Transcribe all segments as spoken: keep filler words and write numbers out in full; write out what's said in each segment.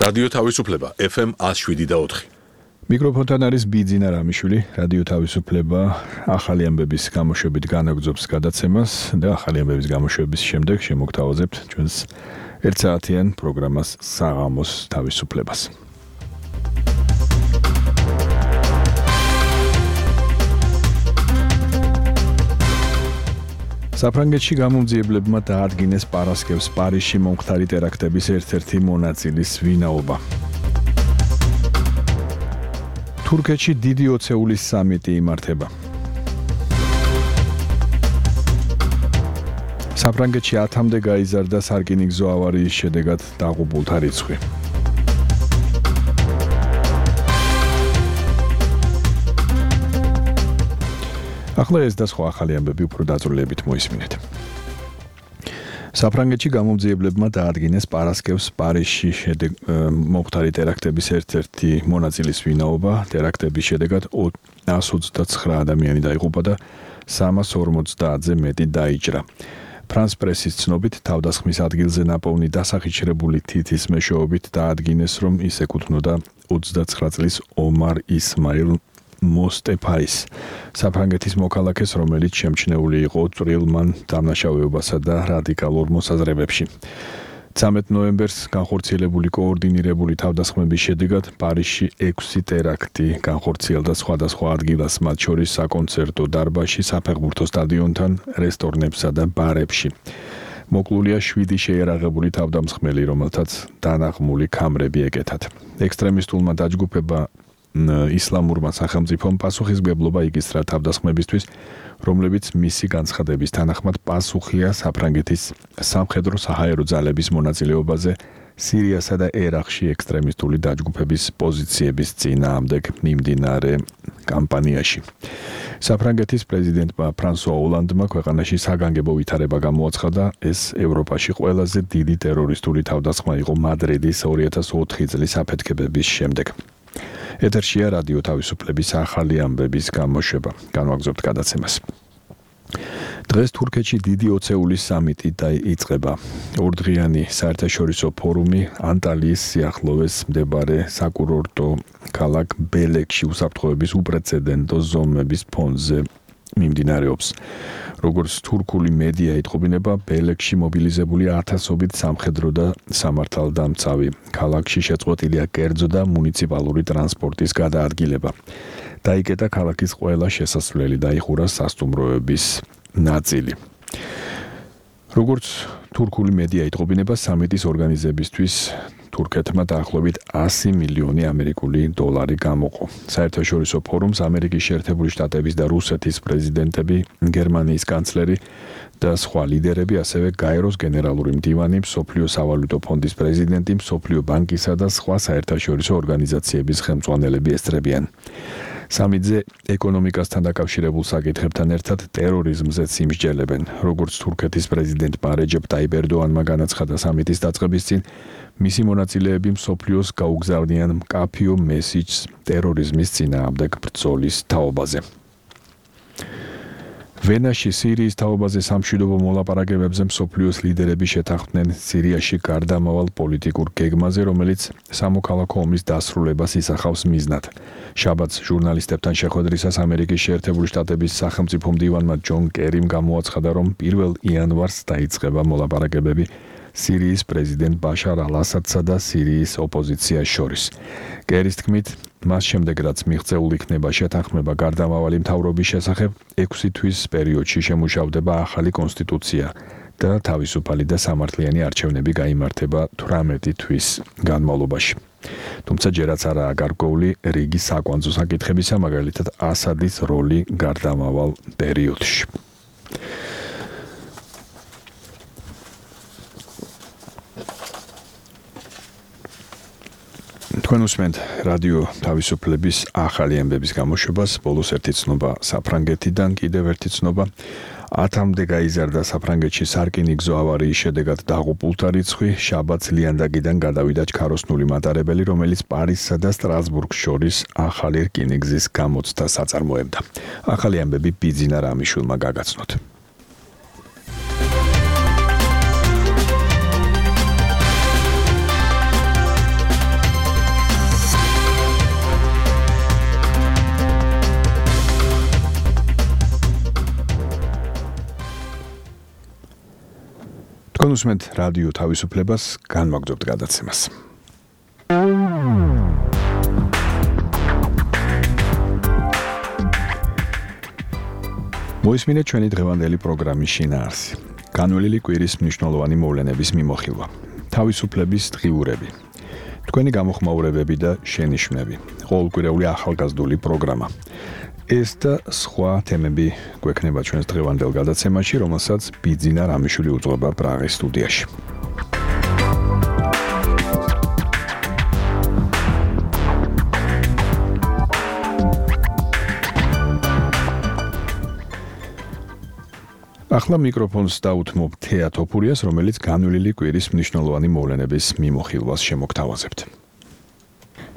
რადიო თავისუფლება ეფ ემ one oh seven point four. მიკროფონთან არის ბიძინა რამიშვილი. რადიო თავისუფლება ახალი ამბების გამოშვებით განაგრძობს გადაცემას და ახალი ამბების გამოშვების შემდეგ შემოგთავაზებთ ჩვენს ერთსაათიან პროგრამას საღამოს თავისუფლებას. საფრანგეთში გამომძიებლებმა დაადგინეს პარასკევს პარიზში მომხდარი ტერაქტების ერთ-ერთი მონაწილის ვინაობა. თურქეთში დიდი ოცეულის სამიტი იმართება. საფრანგეთში ათამდე გაიზარდა სარკინიგზო ავარიის შედეგად დაღუპულთა რიცხვი. ახლა ეს და სხვა ახალი ამბები უფრო დაწვრილებით მოისმინეთ. საფრანგეთში გამომძიებლებმა დაადგინეს პარასკევს პარიზში მომხდარი ტერაქტების ერთ-ერთი მონაწილის ვინაობა. ტერაქტების შედეგად one hundred twenty-nine ადამიანი დაიღუპა და three hundred forty-ზე მეტი დაიჭრა. ფრანს პრესის ცნობით თავდასხმის ადგილზე ნაპოვნი დასახიჩრებული თითის მეშვეობით დაადგინეს, რომ ის ეკუთვნოდა twenty-nine წლის ომარ ისმაილ მოსტეფაის, საფრანგეთის მოქალაქეს, რომელიც შემჩნეული იყო წვრილმან დამნაშავეობასა და რადიკალურ მოსაზრებებში. thirteenth ნოემბერს განხორციელებული კოორდინირებული თავდასხმების შედეგად პარიზში six ტერაქტი განხორციელდა სხვადასხვა ადგილას, მათ შორის საკონცერტო დარბაზში, საფეხბურთო სტადიონთან, რესტორნებსა და ბარებში. მოკლულია seven შეიარაღებული თავდამსხმელი, რომელთაც დანაღმული ქამრები ეკეთათ. ექსტრემისტულმა დაჯგუფება ისლამურმა სახელმწიფომ პასუხისმგებლობა იკისრა თავდასხმებისთვის, რომლებიც მისი განცხადების თანახმად პასუხია საფრანგეთის სამხედრო საჰაერო ძალების მონაწილეობაზე სირიასა და ერაყში ექსტრემისტული დაჯგუფების პოზიციების წინააღმდეგ მიმდინარე კამპანიაში. საფრანგეთის პრეზიდენტმა ფრანსუა ოლანდმა ქვეყანაში საგანგებო ვითარება გამოაცხადა. ეს ევროპაში ყველაზე დიდი ტერორისტული თავდასხმა იყო მადრიდის two thousand four წლის აფეთქებების შემდეგ. ეთერშია რადიო თავისუფლების ახალი ამბების გამოშვება. განვაგრძობთ გადაცემას. დღეს თურქეთში დიდი ოცეულის სამიტი დაიწყება. ორდღიანი საერთაშორისო ფორუმი ანტალიის სიახლოვეს მდებარე საკურორტო ქალაქ ბელეკში უსაფრთხოების უპრეცედენტო ზომების ფონზე მიმდინარეობს. როგორც თურქული მედია იტყობინება, ბელეკში მობილიზებული ათასობით სამხედრო და სამართალდამცავი. ქალაქში შეწყვეტილია კერძო და მუნიციპალური ტრანსპორტის გადაადგილება. დაიკეტა ქალაქის ყველა შესასვლელი, დაიხურა სასტუმროების ნაწილი. როგორც თურქული მედია იტყობინება, სამიტის ორგანიზებისთვის თურქეთმა დაახლოებით one hundred მილიონი ამერიკული დოლარი გამოყო. საერთაშორისო ფორუმს ამერიკის შეერთებული შტატების და რუსეთის პრეზიდენტები, გერმანიის კანცლერი და სხვა ლიდერები, ასევე გაეროს გენერალური მდივანი, მსოფლიო სავალუტო ფონდის პრეზიდენტი, მსოფლიო ბანკისა და სხვა საერთაშორისო ორგანიზაციების ხელმძღვანელები ესწრებიან. სამიტზე ეკონომიკასთან დაკავშირებულ საკითხებთან ერთად ტერორიზმზეც იმსჯელებენ. როგორც თურქეთის პრეზიდენტმა რეჯეპ ტაიპ ერდოანმა განაცხადა სამიტის დაწყების წინ, მისი მონაწილეები მსოფლიოს გაუგზავნიან მკაფიო მესიჯს ტერორიზმის წინააღმდეგ ბრძოლის თაობაზე. ვენაში სირიის თაობაზე სამშვიდობო მოლაპარაკებებზე მსოფლიოს ლიდერები შეთანხმდნენ სირიაში გარდამავალ პოლიტიკურ გეგმაზე, რომელიც სამოქალაქო ომის დასრულებას ისახავს მიზნად. შაბათს ჟურნალისტებთან შეხვედრისას ამერიკის შეერთებული შტატების სახელმწიფო მდივანმა ჯონ კერიმ გამოაცხადა, რომ პირველ იანვარს დაიწყება მოლაპარაკებები სირიის პრეზიდენტ ბაშარ ალ-ასადსა და სირიის ოპოზიციას შორის. კერის თქმით, მას შემდეგ რაც მიღწეულ იქნება შეთანხმება გარდამავალი მთავრობის შესახებ, six თვის პერიოდში შემუშავდება ახალი კონსტიტუცია და თავისუფალი და სამართლიანი არჩევნები გაიმართება eighteen თვის განმავლობაში. თუმცა ჯერაც არაა გარკვეული რიგი საკვანძო საკითხებისა, მაგალითად ასადის როლი გარდამავალ პერიოდში. თქვენ უსმენთ რადიო თავისუფლების ახალი ამბების გამოშვებას. ბოლოს ერთი ცნობა საფრანგეთიდან, კიდევ ერთი ცნობა. ათამდე გაიზარდა საფრანგეთში სარკინიგზო ავარიის შედეგად დაღუპულთა რიცხვი. შაბათს ლიანდაგიდან გადავიდა ჩქაროსნული მატარებელი, რომელიც პარიზსა და სტრასბურგს შორის ახალი რკინიგზის გამოცდას აწარმოებდა. ახალი ამბები ბიძინა რამიშვილმა გაგაცნოთ. კონსუმენტ რადიო თავისუფლებას განმაგრძობთ გადაცემას. მოისმინეთ ჩვენი დღევანდელი პროგრამის შინაარსი. განვლილი კვირის მნიშვნელოვანი მოვლენების მიმოხილვა. თავისუფლების დღიურები. თქვენი გამოხმაურებები და შენიშვნები. ყოველკვირეული ახალგაზრდული პროგრამა. ეს და სხვა თემები გვექნება ჩვენს დღევანდელ გადაცემაში, რომელსაც ბიძინა რამიშვილი უძღვება პრაღის სტუდიაში. ახლა მიკროფონს დაუთმობ თეა თოფურიას, რომელიც განვლილი კვირის მნიშვნელოვანი მოვლენების მიმოხილვას შემოგთავაზებთ.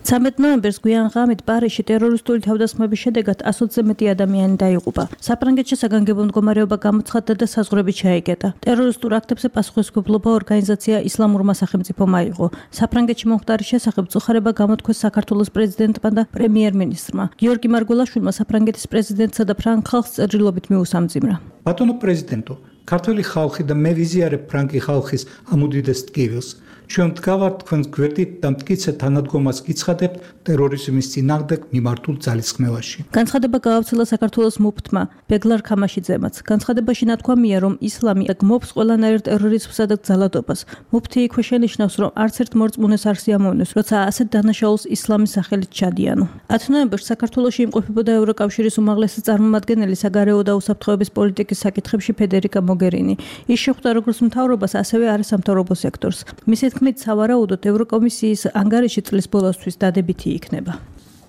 ცამეტ ნოემბერს გვიან ღამით პარიზში ტერორისტული თავდასხმების შედეგად ასოცზე მეტი ადამიანი დაიღუპა. საფრანგეთში საგანგებო მდგომარეობა გამოცხადდა და საზღვრები ჩაიკეტა. ტერორისტულ აქტებზე პასუხისმგებლობა ორგანიზაცია ისლამურმა სახელმწიფომ აიღო. საფრანგეთში მომხდარის შესახებ წუხარება გამოთქვეს საქართველოს პრეზიდენტმა და პრემიერ-მინისტრმა. გიორგი მარგველაშვილმა საფრანგეთის პრეზიდენტსა და ფრანგ ხალხს წერილობით მიუსამძიმრა. ბატონო პრეზიდენტო, ქართველი ხალხი და მე ვიზიარებ ფრანგი ხალხის ამ უდიდეს ტკივილს. ჩვენ ვდგავართ თქვენს გვერდით და მტკიცე თანადგომას გიცხადებთ ტერორიზმის წინააღმდეგ მიმართულ ძალისხმევაში. განცხადება გაავრცელა საქართველოს მუფტმა ბეგლარ ქამაშიძემაც. განცხადებაში ნათქვამია, რომ ისლამი გმობს ყველანაირ ტერორიზმსა და ძალადობას. მუფტი იქვე შენიშნავს, რომ არც ერთ მორწმუნეს არ სიამოვნებს, როცა ასეთ დანაშაულს ისლამის სახელით ჩადიანო. ათი ნოემბერს საქართველოში იმყოფებოდა ევროკავშირის უმაღლესი წარმომადგენელი საგარეო და უსაფრთხოების პოლიტიკის საკითხებში ფედერიკა მოგერინი. ის შეხვდა როგორც მთავრობას, ასევე არასამთავრობო სექტორს. მისი თქმით, სავარაუდოდ ევროკომისიის ანგარიში წლის ბოლოსთვის დადებითი იქნება.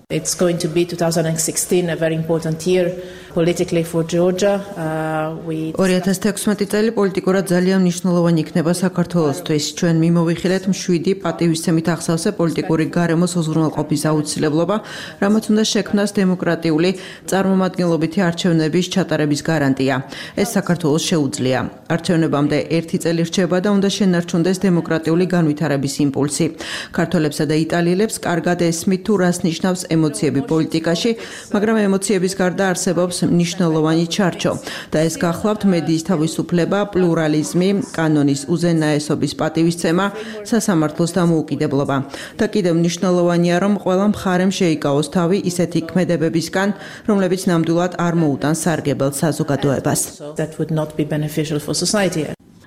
It's going to be twenty sixteen a very important year politically for Georgia. Uh, we ორი ათას თექვსმეტი წელი პოლიტიკურად ძალიან მნიშვნელოვანი იქნება საქართველოსთვის. ჩვენ მიმოვიხილეთ მშვიდი პატივისცემით ახსავსე პოლიტიკური გარემოს უზრუნველყოფის აუცილებლობა, რამაც უნდა შექმნას დემოკრატიული წარმომადგენლობითი არჩევნების ჩატარების გარანტია. ეს საქართველოს შეუძლია. არჩევნებამდე ერთი წელი რჩება და უნდა შენარჩუნდეს დემოკრატიული განვითარების იმპულსი. ქართველებსა და იტალიელებს კარგად ესმით თუ რას ნიშნავს ემოციები პოლიტიკაში, მაგრამ ემოციების გარდა არსებობს მნიშვნელოვანი ჩარჩო და ეს გახლავთ მედიის თავისუფლება, პლურალიზმი, კანონის უზენაესობის პატივისცემა, სასამართლოს დამოუკიდებლობა. და კიდევ მნიშვნელოვანია, რომ ყველა მხარემ შეიკავოს თავი ისეთი ქმედებებისგან, რომლებიც ნამდვილად არ მოუტანს სარგებელს საზოგადოებას. that would not be beneficial for society.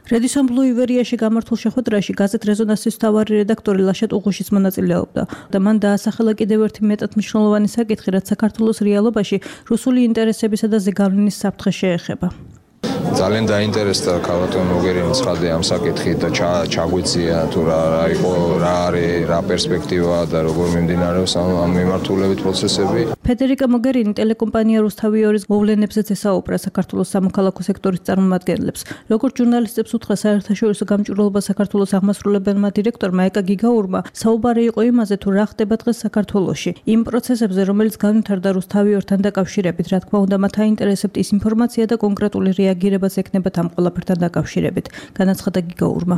რედისონ ბლუ ივერიაში გამართულ შეხვედრაში გაზეთ რეზონანსის მთავარი რედაქტორი ლაშა ტუღუშიც მონაწილეობდა და მან დაასახელა კიდევ ერთი მეტად მნიშვნელოვანი საკითხი, რაც საქართველოს რეალობაში რუსული ინტერესებისა და ზეგავლენის საფრთხეს შეეხება. ძალიან დაინტერესდა ქალბატონ მოგერინი ცხადე ამ საკითხით და ჩაგვიწია თუ რა იყო, რა არის, რა პერსპექტივა და როგორ მიმდინარეობს ამ მიმართულებით პროცესები. ფედერიკა მოგერინი ტელეკომპანია რუსთავიორის მოვლენებზეც ესაუბრა საქართველოს სამოქალაქო სექტორის წარმომადგენლებს. როგორც ჟურნალისტებს უთხრა საერთაშორისო გამჭვირვალობა საქართველოს აღმასრულებელმა დირექტორმა ეკა გიგაურმა, საუბარი იყო იმაზე, თუ რა ხდება დღეს საქართველოში. იმ პროცესებზე, რომელიც განვითარდა რუსთავიორთან დაკავშირებით, რა თქმა უნდა, მათ აინტერესებთ ის ინფორმაცია და კონკრეტული რეაგირებაც ექნებათ ამ ყველაფერთან დაკავშირებით, განაცხადა გიგაურმა.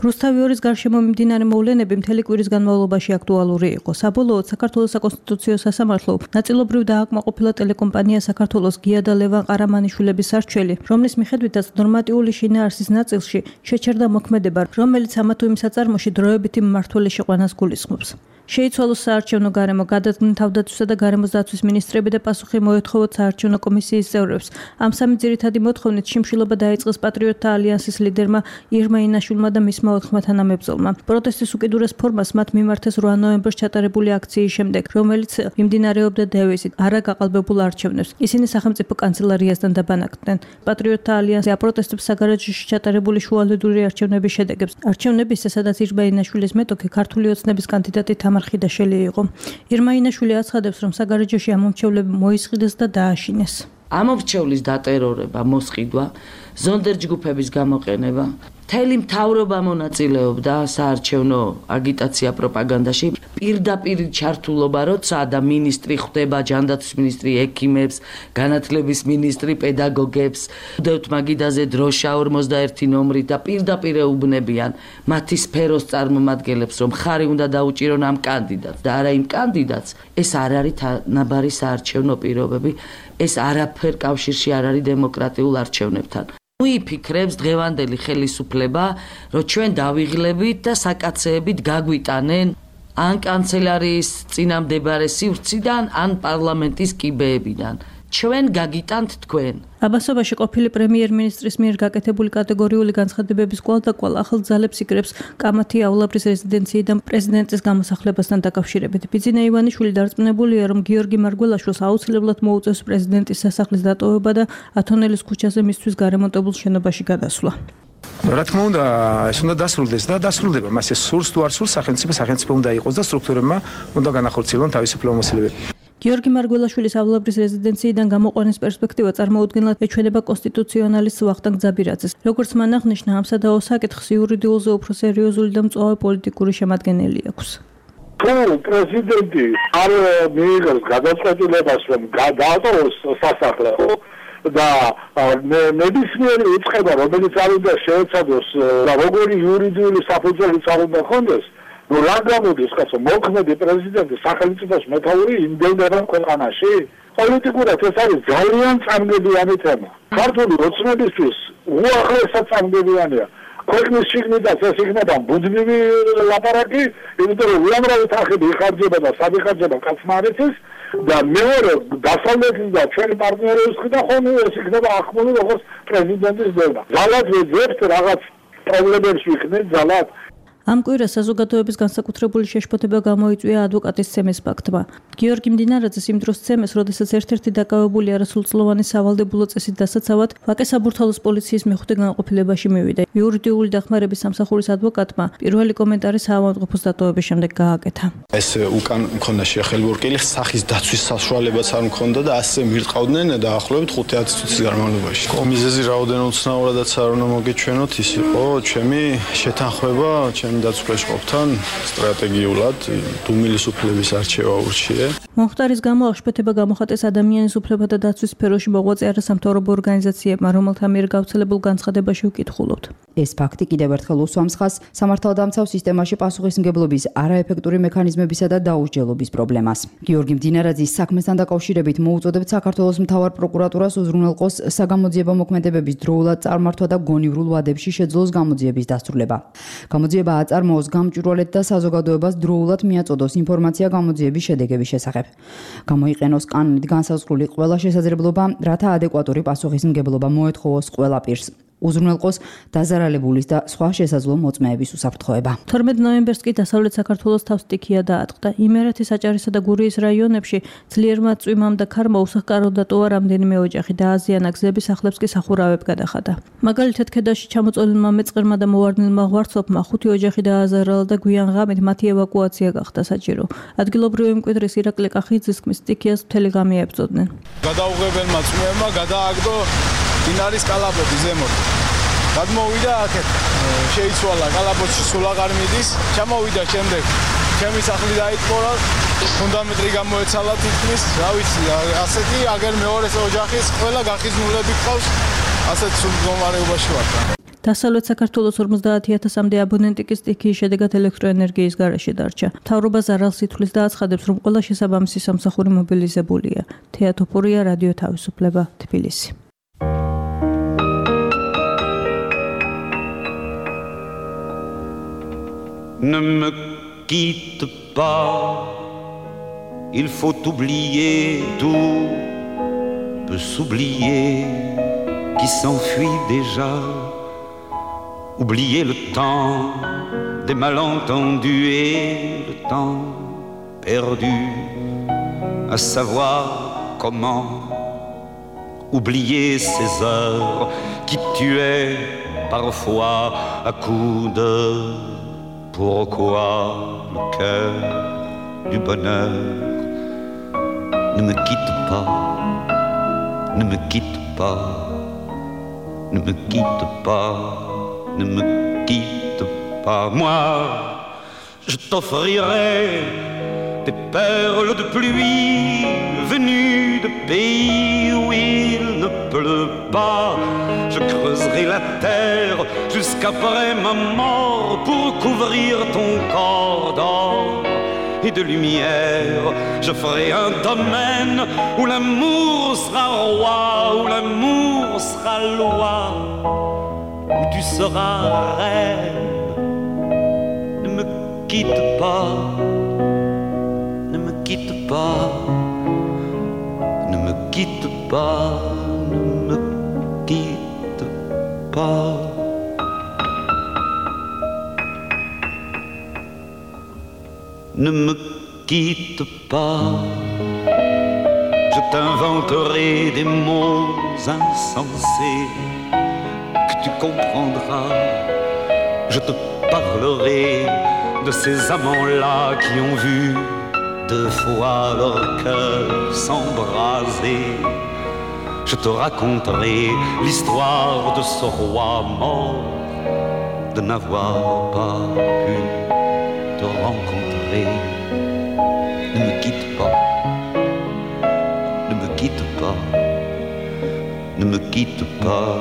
რუსთავიორის გარშემო მიმდინარე მოვლენები მთელი კვირის განმავლობაში აქტუალური იყო. საბოლოოდ საქართველოს საკონსტიტუციო სასამართლო ნაწილობრივ დააკმაყოფილა ტელეკომპანია საქართველოს გია და ლევან ყარამანიშვილების არჩეველი, რომლის მიხედვითაც ნორმატიული შინაარსის ნაწილში შეჩერდა მოქმედება, რომელიც ამა თუ იმ საწარმოში დროებითი მმართველი შეყვანას გულისხმობს. შეიცვალოს საარჩევნო გარემო, გადადგნენ თავდაცვისა და გარემოს დაცვის მინისტრები და პასუხი მოეთხოვოთ საარჩევნო კომისიის წევრებს. ამ სამი ძირითადი მოთხოვნით შიმშილობა დაიწყეს პატრიოტთა ალიანსის ლიდერმა ირმა ინაშვილმა და მისმა ოთხმა თანამებრძოლმა. პროტესტის უკიდურეს ფორმას მათ მიმართეს რვა ნოემბერს ჩატარებული აქციის შემდეგ, რომელიც მიმდინარეობდა დევიზით არა გაყალბებულ არჩევნებს. ისინი სახელმწიფო კანცელარიასთან დაბანაკდნენ. პატრიოტთა ალიანსი აპროტესტებს საგარეჯოში ჩატარებული შუალედური არჩევნების შედეგებს. არჩევნებისა, სადაც ირმა ინაშვილის მეტოქი ქართული ოცნების კანდიდატი თამარ ხიდაშელი იყო. ირმა ინაშვილი აცხადებს, რომ საგარეჯოში ამომრჩევლები მოისყიდეს და დააშინეს. ამომრჩევლის დატერორება, მოსყიდვა, ზონდერ ჯგუფების გამოყენება, მთელი მთავრობა მონაწილეობდა საარჩევნო აგიტაცია პროპაგანდაში. პირდაპირ ჩართულობა, როცა და მინისტრი ხვდება ჯანდაცვის მინისტრი, ექიმებს, განათლების მინისტრი, პედაგოგებს, უდევთ მაგიდაზე დროშა ორმოცდაერთი ნომრით და პირდაპირ ეუბნებიან მათი სფეროს წარმომადგენლებს, რომ ხარი უნდა დაუჭირონ ამ კანდიდატს და არა იმ კანდიდატს. ეს არ არის თანაბარი საარჩევნო პირობები, ეს არაფერ კავშირში არ არის დემოკრატიულ არჩევნებთან. უიფიქრებს დღევანდელი ხელისუფლება, რომ ჩვენ დავიღლებით და საკაცეებით გაგვიტანენ ან კანცელარიის წინამდებარე სივრციდან, ან პარლამენტის კიბეებიდან. ჩვენ გაგიტანთ თქვენ. აბასობაში ყოფილი პრემიერ-მინისტრის მიერ გაკეთებული კატეგორიული განცხადებების კვალდაკვალ ახალ ძალებს იკრებს კამათი აულაბრის რეზიდენციიდან პრეზიდენტის გამოსახლებასთან დაკავშირებით. ბიძინა ივანიშვილი დარწმუნებულია, რომ გიორგი მარგველაშვილს აუცილებლად მოუწევს პრეზიდენტის სასახლის დატოვება და ათონელის ქუჩაზე მისთვის გარემონტებულ შენობაში გადასვლა. რა თქმა უნდა, ეს უნდა დასრულდეს და დასრულდება. მას ეს სურს თუ არ სურს, სახელმწიფო სახელმწიფო უნდა იყოს და სტრუქტურებმა უნდა განახორციელონ თავისუფლ მომსახურებები. გიორგი მარგველაშვილის აულაბრის რეზიდენციიდან გამოყვანის პერსპექტივა წარმოუდგენლად ეჩვენება კონსტიტუციონალისტ ვახტანგ ძაბირაძეს. როგორც მან აღნიშნა, ამ სადაო საკითხს იურიდიულზე უფრო სერიოზული და მწვავე პოლიტიკური შემადგენელი აქვს. თუ პრეზიდენტი არ მიიღებს გადაწყვეტილებას, რომ გადაატოვოს სასახლე და ნებისმიერი უწყება, რომელიც არ უნდა შეეცადოს და როგორი იურიდიული საფუძველიც არ უნდა ჰქონდეს, ну რა გამოდის კაცო მოქმედი პრეზიდენტი სახელმწიფოს მეთაური იმდენდება ქვეყანაში? პოლიტიკურად ეს არის ძალიან წამგებიანი თემა. ქართული ოცნებისთვის უახლესად წამგებიანია. ქვეყნის შიგნიდან ეს იქნება ბუდმივი ლაპარაკი, იმიტომ რომ უამრავი თანხები იხარჯება და სად იხარჯება კაცმარეთის და მეორე დასავლეთის და ჩვენი პარტნიორების მხრიდან ხომ ეს იქნება ახმული როგორც პრეზიდენტის დევნა. ძალად ვეძებთ რაღაც პრობლემებს ვიქნეთ ძალად. ამ კვირას საზოგადოების განსაკუთრებული შეშფოთება გამოიწვია ადვოკატის ცემეს ფაქტმა. გიორგი მდინარაძეს იმ დროს ცემეს, როდესაც ერთ-ერთი დაკავებული არასრულწლოვანი სავალდებულო წესით დასაცავად ვაკე საბურთალოს პოლიციის მეხუთე განყოფილებაში მივიდა. იურიდიული დახმარების სამსახურის ადვოკატმა პირველი კომენტარი საავადმყოფოს დატოვების შემდეგ გააკეთა. ეს უკან მქონდა შეხელბურკილი, სახის დაცვის საშუალებაც არ მქონდა და ასე მირტყავდნენ დაახლოებით ხუთი-ათი წუთის განმავლობაში. მიზეზი რაოდენობით უცნაურადაც არ უნდა მოგეჩვენოთ, ის იყო ჩემი შეთანხმება დაცვლის ყოფთან სტრატეგიულად დუმილის უფლების არჩევა ურჩიე. მომხდარის გამო აღშფოთება გამოხატეს ადამიანის უფლებათა დაცვის სფეროში მოღვაწე არასამთავრობო ორგანიზაციებმა, რომელთა მიერ გავრცელებულ განცხადებაში ვკითხულობთ. ეს ფაქტი კიდევ ერთხელ უსვამს ხაზს სამართალდამცავ სისტემაში პასუხისმგებლობის არაეფექტური მექანიზმებისა და დაუსჯელობის პრობლემას. გიორგი მდინარაძის საქმესთან დაკავშირებით მოუწოდებთ საქართველოს მთავარ პროკურატურას უზრუნველყოს საგამოძიებო მოქმედებების დროულად წარმართვა და გონივრულ ვადებში შეძლოს გამოძიების დასრულება. გამოძიება აწარმოოს გამჭვირვალედ და საზოგადოებას დროულად მიაწოდოს ინფორმაცია გამოძიების შედეგების შესახებ. გამოიყენოს კანონით განსაზღვრული ყველა შესაძლებლობა, რათა ადეკვატური პასუხისმგებლობა მოეთხოვოს ყველა პირს. უზრუნველყოს დაზარალებულის და სხვა შესაძლო მოწმეების უსაფრთხოება. თორმეტ ნოემბერს კი დასავლეთ საქართველოს თავს სტიქია დაატყდა. იმერეთის, აჭარისა და გურიის რაიონებში ძლიერმა წვიმამ და ქარმა უსახკაროდ დატოვა რამდენიმე ოჯახი და აზიანა გზების სახლებს კი სახურავებ გადახადა. მაგალითად, ქედაში ჩამოწოლებულმა მეწყერმა და მოვარდნილმა ღვარცოფმა ხუთი ოჯახი დააზარალა და გვიან ღამით მათი ევაკუაცია გახდა საჭირო. ადგილობრივი მკვიდრის ირაკლი კახიძის თქმის, სტიქიას მთელი ღამე ებრძოდნენ. გადაუღებელმა წვიმებმა გადააგდო დინარის კალაპოტი ზემოთ. გადმოვიდა აქეთ, შეიცვალა კალაპოტში სულ აღარ მიდის, ჩამოვიდა შემდეგ. ჩემი სახლი დაიტყორა, ფუნდამენტი გამოეცალა თითქმის, რა ვიცი, ასეთი აგერ მეორე ოჯახის ყველა გახიზნულები ყავს, ასეთ სულ მდგომარეობაში ვარ. დასავლეთ საქართველოს ორმოცდაათი ათასამდე აბონენტი კი სტიქიის შედეგად ელექტროენერგიის გარეშე დარჩა. მთავრობა ზარალს ითვლის და აცხადებს, რომ ყველა შესაბამისი სამსახური მობილიზებულია. თეა თოფურია, რადიო თავისუფლება, თბილისი. Ne me quitte pas, il faut oublier tout, peut s'oublier qui s'enfuit déjà, oublier le temps des malentendus et le temps perdu, à savoir comment oublier ces heures qui tuaient parfois à coups de pourquoi le cœur du bonheur ne me quitte pas, ne me quitte pas, ne me quitte pas, ne me quitte pas. Moi, je t'offrirai des perles de pluie venues de pays où il ne pleut pas. Je creuserai la terre jusqu'après ma mort pour couvrir ton corps d'or et de lumière. Je ferai un domaine où l'amour sera roi, où l'amour sera loi, où tu seras reine. Ne me quitte pas, ne me quitte pas, ne me quitte pas, ne me quitte pas. Ne me quitte pas, je t'inventerai des mots insensés que tu comprendras. Je te parlerai de ces amants-là qui ont vu deux fois leur cœur s'embraser. Je te raconterai l'histoire de ce roi mort, de n'avoir pas pu te rencontrer. Ne me quitte pas, ne me quitte pas, ne me quitte pas,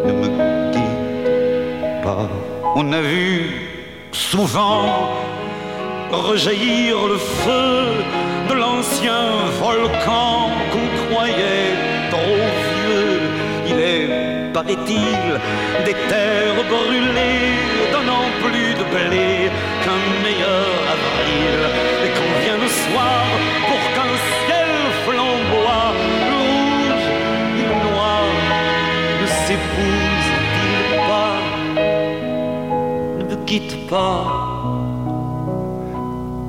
ne me quitte pas. On a vu souvent rejaillir le feu de l'ancien volcan qu'on croyait trop vieux. Il est, paraît-il, des terres brûlées, donnant plus de blé qu'un meilleur avril. Et qu'on vient le soir pour qu'un ciel flamboie, le rouge et le noir ne s'épousent-ils pas? Ne me quitte pas,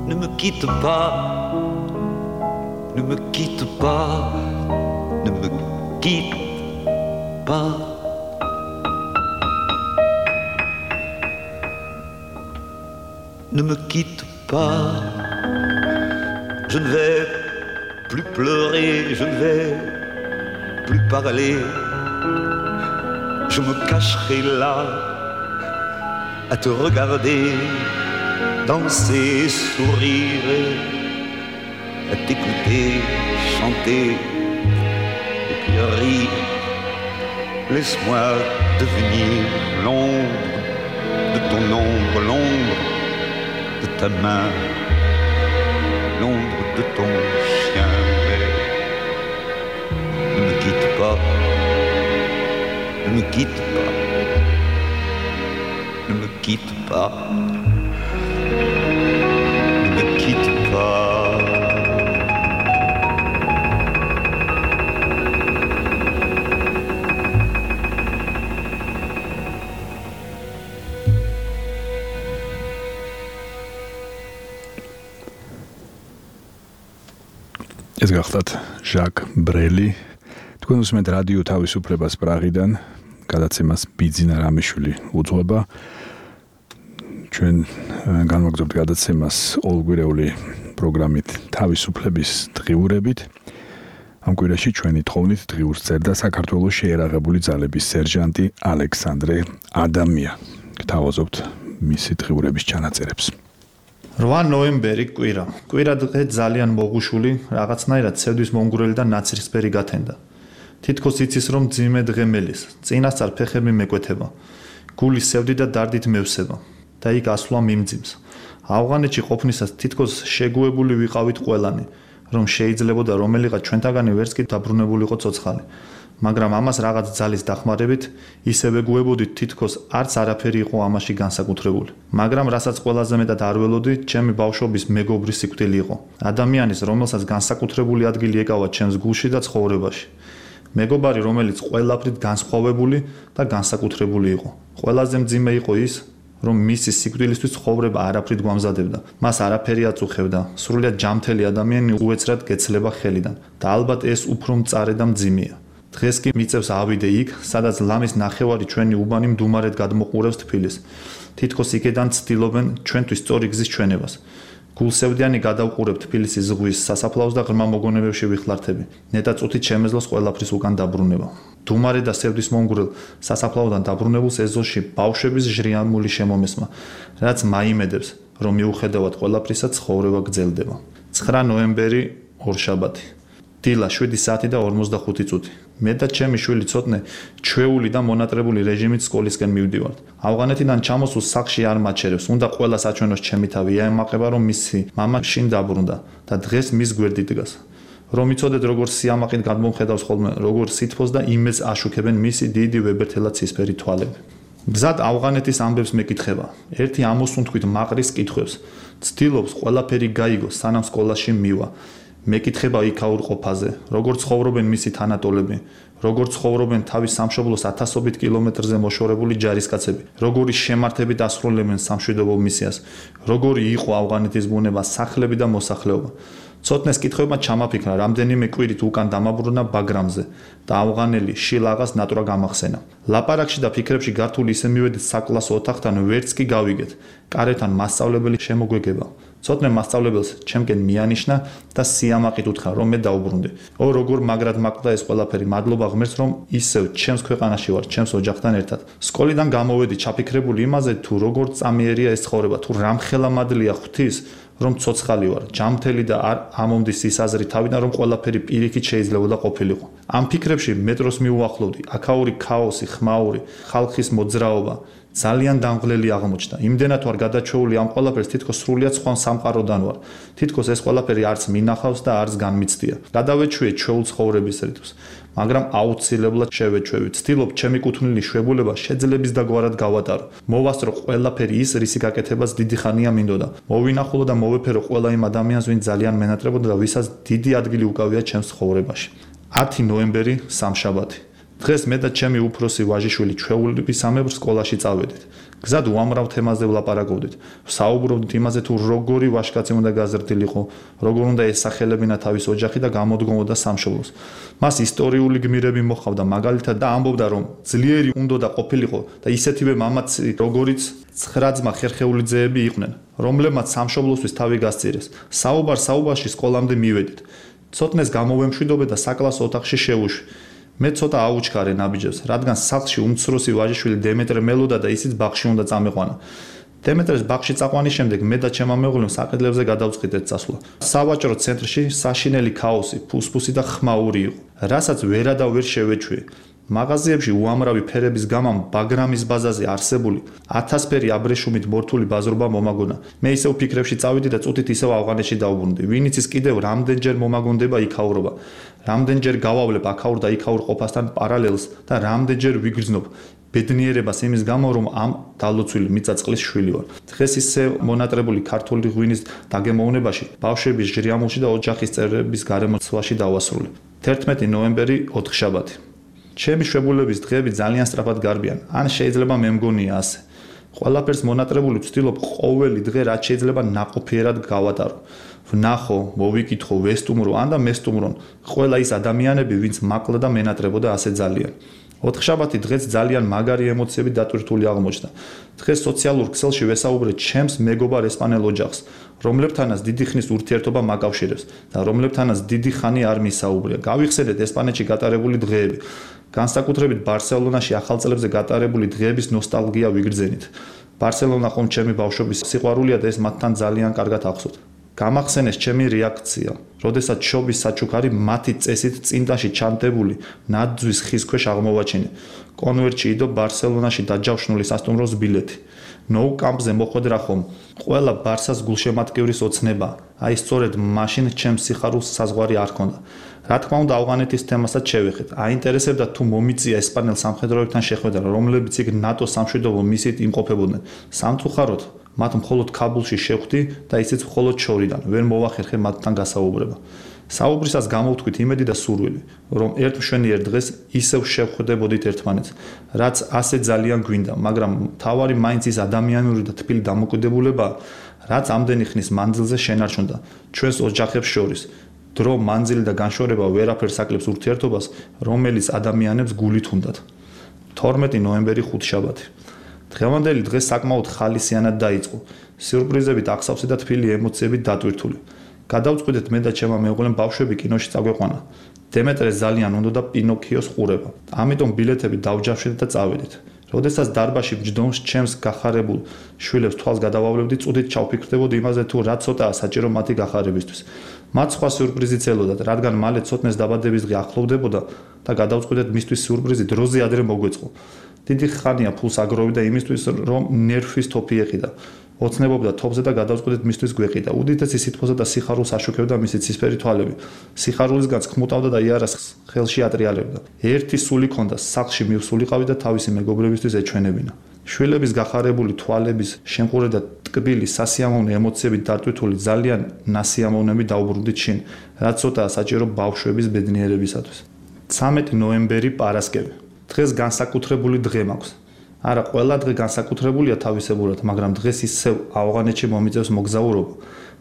ne me quitte pas, ne me quitte pas, ne me quitte pas. Ne me quitte pas, je ne vais plus pleurer, je ne vais plus parler. Je me cacherai là à te regarder, danser, sourire, à t'écouter, chanter et puis rire. Laisse-moi devenir l'ombre de ton ombre, l'ombre de ta main, l'ombre de ton chien. Mais ne me quitte pas, ne me quitte pas, ne me quitte pas, ne me quitte pas. ეს გახლავთ ჟაკ ბრელი. თქვენ უსმენთ რადიო თავისუფლებას პრაღიდან, გადაცემას ბიძინა რამიშვილი უძღვება. ჩვენ განვაგრძობთ გადაცემას ორგვირეული პროგრამით თავისუფლების დღიურებით. ამ კვირაში ჩვენი თხოვნით დღიურს წერდა საქართველოს შეერაღებული ძალების სერჟანტი ალექსანდრე ადამია. გთავაზობთ მისი დღიურების ჩანაწერებს. რვა ნოემბერი კვირა. კვირა დღე ძალიან მოგუშული, რაღაცნაირად ცევდის მომგვრელი და ნაცრისფერი გათენდა. თითქოს იცის რომ ძიმე დღე მელის, წინასწარ ფეხები მეკვეთება. გული სევდი და დარდით მევსება და იქ ასვლა მიმძიმს. ავღანეთში ყოფნისას თითქოს შეგუებული ვიყავით ყველანი, რომ შეიძლებოდა რომელიღაც ჩვენთაგანი ვერც კი დაბრუნებულიყო ცოცხალი. მაგრამ ამას რაღაც ძალის დახმარებით ისევე გუებოდით თითქოს არც არაფერი იყო ამაში განსაკუთრებული. მაგრამ რასაც ყველაზე მეტად არ ველოდი, ჩემი ბავშვობის მეგობრის სიკვდილი იყო. ადამიანის, რომელსაც განსაკუთრებული ადგილი ეკავა ჩემს გულში და ცხოვრებაში. მეგობარი, რომელიც ყველაფრით განსხვავებული და განსაკუთრებული იყო. ყველაზე მძიმე იყო ის, რომ მისი სიკვდილისთვის ცხოვრება არაფრით გვამზადებდა. მას არაფერი აწუხებდა. სრულიად ჯამთელი ადამიანი უეცრად გეცლება ხელიდან და ალბათ ეს უფრო მწარე და მძიმეა. დღეს კი მიწევს ავიდე იქ, სადაც ლამის ნახევარი ჩვენი უბანი მდუმარედ გადმოყურებს თბილისს. თითქოს იქედან ცდილობენ ჩვენთვის სწორი გზის ჩვენებას. გულსევდიანი გადავყურებ თბილისის ზღვის სასაფლაოს და ღრმა მოგონებებში ვიხლართები. ნეტა წუთით შემეძლოს ყველაფრის უკან დაბრუნება. დუმარე და სევდის მომგვრელ სასაფლაოდან დაბრუნებულს ეზოში ბავშვების ჟრიამული შემომესმა, რაც მაიმედებს, რომ მიუხედავად ყველაფრისა ცხოვრება გრძელდება. ცხრა ნოემბერი, ორშაბათი. დილა შვიდი საათი და ორმოცდახუთი წუთი. მე და ჩემი შვილი ცოტნე ჩვეული და მონატრებული რეჟიმით სკოლისკენ მივდივართ. ავღანეთიდან ჩამოსულ სახლში არ მაჩერებს, უნდა ყველა საჩვენოს ჩემი თავი, აემაყება რომ მისი მამა შინ დაბრუნდა და დღეს მის გვერდით დგას. რომ იცოდეთ როგორ სიამაყით გადმომხედავს ხოლმე, როგორ სითბოს და იმედს აშუქებენ მისი დიდი ვებერთელა ცისფერი თვალები. გზად ავღანეთის ამბებს მეკითხება. ერთი ამოსუნთქვით მაყრის კითხვებს. ცდილობს ყველაფერი გაიგოს, სანამ სკოლაში მივა. მეკითხება იქაურ ყოფაზე, როგორ ცხოვრობენ მისი თანატოლები, როგორ ცხოვრობენ თავის სამშობლოს ათასობით კილომეტრზე მოშორებული ჯარისკაცები, როგორი შემართებით ასრულებენ სამშვიდობო მისიას, როგორი იყო ავღანეთის ბუნება, სახლები და მოსახლეობა. ცოტნეს კითხვებმა ჩამაფიქრა, რამდენიმე კვირით უკან დამაბრუნა ბაგრამზე და ავღანელი შილაღას ნატრა გამახსენა. ლაპარაკში და ფიქრებში გართული ისე მივედით საკლასო ოთახთან, ვერც კი გავიგეთ. კარეთან მასწავლებელი შემოგვეგება. ცოტნე მასწავლებელს ჩემკენ მიანიშნა და სიამაყით უთხრა, რომ მე დაუბრუნდი. ო, როგორ მაგრად მაკლდა ეს ყველაფერი, მადლობა ღმერთს, რომ ისევ ჩემს ქვეყანაში ვარ, ჩემს ოჯახთან ერთად. სკოლიდან გამოვედი ჩაფიქრებული იმაზე, თუ როგორ წამიერია ეს ცხოვრება, თუ რამხელა მადლია ღვთის, რომ ცოცხალი ვარ, ჯამთელი და არ ამომდის ის აზრი თავიდან, რომ ყველაფერი პირიქით შეიძლებოდა ყოფილიყო. ამ ფიქრებში მეტროს მიუახლოვდი, აქაური ქაოსი, ხმაური, ხალხის მოძრაობა ძალიან დამღლელი აღმოჩნდა. იმდენად ვარ გადაჩეული ამ ყველაფერს, თითქოს სრულიად სხვა სამყაროდან ვარ. თითქოს ეს ყველაფერი არც მინახავს და არც განმიცდია. გადავეჩვიე ჩვეულ ცხოვრების რიტმს, მაგრამ აუცილებლად შევეჩვევი. ვცდილობ ჩემი კუთვნილი შვებულება შეძლების დაგვარად გავატარო. მოვასწრო ყველაფერი ის, რისი გაკეთებას დიდი ხანია მინდოდა. მოვინახულო და მოვეფერო ყველა იმ ადამიანს, ვინც ძალიან მენატრებოდა და ვისაც დიდი ადგილი უკავია ჩემს ცხოვრებაში. ათი ნოემბერი, სამშაბათი. დღეს მე და ჩემი უფროსი ვაჟიშვილი ჩვეულებისამებრ სკოლაში წავედით. გზად უამრავ თემაზე ვლაპარაკობდით. საუბრობდით იმაზე, თუ როგორი ვაჟკაცი უნდა გაზრდილიყო, როგორ უნდა ესახელებინა თავის ოჯახი და გამოდგომოდა სამშობლოს. მას ისტორიული გმირები მოჰყავდა, მაგალითად და ამბობდა, რომ ძლიერი უნდა ყოფილიყო და ისეთივე მამაცი, როგორიც ცხრა ძმა ხერხეული ძეები იყვნენ, რომლებმაც სამშობლოსთვის თავი გასწირეს. საუბარ საუბარში სკოლამდე მივედით. ცოტნეს გამოვემშვიდობე და საკლასო ოთახში შევუშვი. მე ცოტა აუჩქარე ნაბიჯებს, რადგან სახლში უმცროსი ვაჟიშვილი დემეტრე მელოდა და ისიც ბაღში უნდა წამეყვანა. დემეტრეს ბაღში წაყვანის შემდეგ მე და ჩემმა მეუღლემ საყიდლებზე გადავწყვიტეთ წასვლა. სავაჭრო ცენტრში საშინელი ქაოსი, ფუსფუსი და ხმაური იყო, რასაც ვერა და ვერ შევეჩვიე. მაღაზიებში უამრავი ფერების გამამ ბაგრამის ბაზაზე არსებული ათასფერი აბრეშუმით მორთული ბაზრობა მომაგონა. მე ისევ ფიქრებში წავიდი და წუთით ისევ ავღანეთში დავუბრუნდი. ვინ იცის კიდევ რამდენჯერ მომაგონდება იქაურობა, რამდენჯერ გავავლებ აქაურ და იქაურ ყოფასთან პარალელს და რამდენჯერ ვიგრძნობ ბედნიერებას იმის გამო, რომ ამ დალოცვილი მიწაწყლის შვილი ვარ. დღეს ისე მონატრებული ქართული ღვინის დაგემოვნებაში, ბავშვების ჟრიამულში და ოჯახის წევრების გარემოცვაში დავასრულე. თერთმეტი ნოემბერი, ოთხშაბათი. ჩემი შვებულების დღეები ძალიან სწრაფად გარბიან, ან შეიძლება მე მგონია ასე. ყველაფერს მონატრებული ვცდილობ ყოველი დღე რაც შეიძლება ნაყოფიერად გავატარო. ვნახო, მოვიკითხო, ვესტუმრო, ან და მესტუმრონ ყველა ის ადამიანები, ვინც მაკლა და მენატრებოდა ასე ძალიან. ოთხშაბათი დღეს ძალიან მაგარი ემოციები დატვირთული აღმოჩნდა. დღეს სოციალურ ქსელში ვესაუბრე ჩემს მეგობარ ესპანელ ოჯახს, რომლებთანაც დიდი ხნის ურთიერთობა მაკავშირებს და რომლებთანაც დიდი ხანი არ მისაუბრია. გავიხსენეთ ესპანეთში გატარებული დღეები. განსაკუთრებით ბარსელონაში ახალ წლებზე გატარებული დღეების ნოსტალგია ვიგრძენით. ბარსელონა ხომ ჩემი ბავშვობის სიყვარულია და ეს მათთან ძალიან კარგად ახსოვთ. გამახსენეს ჩემი რეაქცია, როდესაც შობის საჩუქარი მათი წესით წინდაში ჩანდებული ნაძვის ხის ქვეშ აღმოვაჩინე. კონვერტში იდო ბარსელონაში დაჯავშნული სასტუმროს ბილეთი. ნოუ კამპზე მოხვედრა ხომ ყველა ბარსას გულშემატკივრის ოცნება. აი სწორედ მაშინ ჩემს სიხარულს საზღვარი არ ჰქონდა. რა თქმა უნდა, ავღანეთის თემასაც შევეხეთ. აინტერესებდა თუ მომიწია ესპანელ სამხედროებთან შეხვედრა, რომლებიც იქ ნატოს სამშვიდობო მისიით იმყოფებოდნენ. სამწუხაროდ მათ მხოლოდ ქაბულში შევხვდი და ისიც მხოლოდ შორიდან, ვერ მოვახერხე მათთან გასაუბრება. საუბრისას გამოვთქვით იმედი და სურვილი, რომ ერთ მშვენიერ დღეს ისევ შევხვდებოდით ერთმანეთს, რაც ასე ძალიან გვინდა, მაგრამ თავარი მაინც ის ადამიანური და თბილი დამოკიდებულებაა, რაც ამდენი ხნის მანძილზე შენარჩუნდა ჩვენს ოჯახებს შორის. დრო, მანძილი და განშორება ვერაფერს აკლებს ურთიერთობას, რომელიც ადამიანებს გულით უნდათ. თორმეტი ნოემბერი, ხუთშაბათი. დღევანდელი დღე საკმაოდ ხალისიანად დაიწყო. სიურპრიზებით აღსავსე და თბილი ემოციებით დატვირთული. გადავწყვიტეთ მე და ჩემმა მეუღლემ ბავშვები კინოში წაგვეყვანა. დემეტრეს ძალიან უნდოდა პინოქიოს ყურება. ამიტომ ბილეთები დავჯავშეთ და წავედით. როდესაც დარბაში ჯდომს ჩემს გახარებულ შვილებს თვალს გადავავლებდი, წუდით ჩავფიქრდებოდი იმაზე, თუ რა ცოტაა საჭირო მათი გახარებისთვის. მათ სხვა სიურპრიზიც ელოდათ, რადგან მალე ცოტნეს დაბადების დღე ახლოვდებოდა და გადავწყვიტეთ მისთვის სიურპრიზი დროზე ადრე მოგვეწყო. დიდი ხანია ფულს აგროვებდა იმისთვის, რომ ნერვის თოფი ეყიდა. ოცნებობდა თოფზე და გადავწყვიტეთ მისთვის გვეყიდა. უდიდესი სითბოსა და სიხარულს აშუქებდა მისი ცისფერი თვალები. სიხარულისგან ქმუტავდა და იარას ხელში ატრიალებდა. ერთი სული ჰქონდა, სახლში მივსულიყავი და თავისი მეგობრებისთვის ეჩვენებინა. შვილების გახარებული თვალების შემყურე და ტკბილი სასიამოვნო ემოციებით დატვირთული ძალიან ნასიამოვნები დაუბრუნდით შინ, რაც ცოტაა საჭირო ბავშვების ბედნიერებისათვის. ცამეტი ნოემბერი პარასკევი. დღეს განსაკუთრებული დღე მაქვს. არა, ყველა დღე განსაკუთრებულია თავისებურად, მაგრამ დღეს ისევ ავღანეთში მომიწევს მოგზაურობა,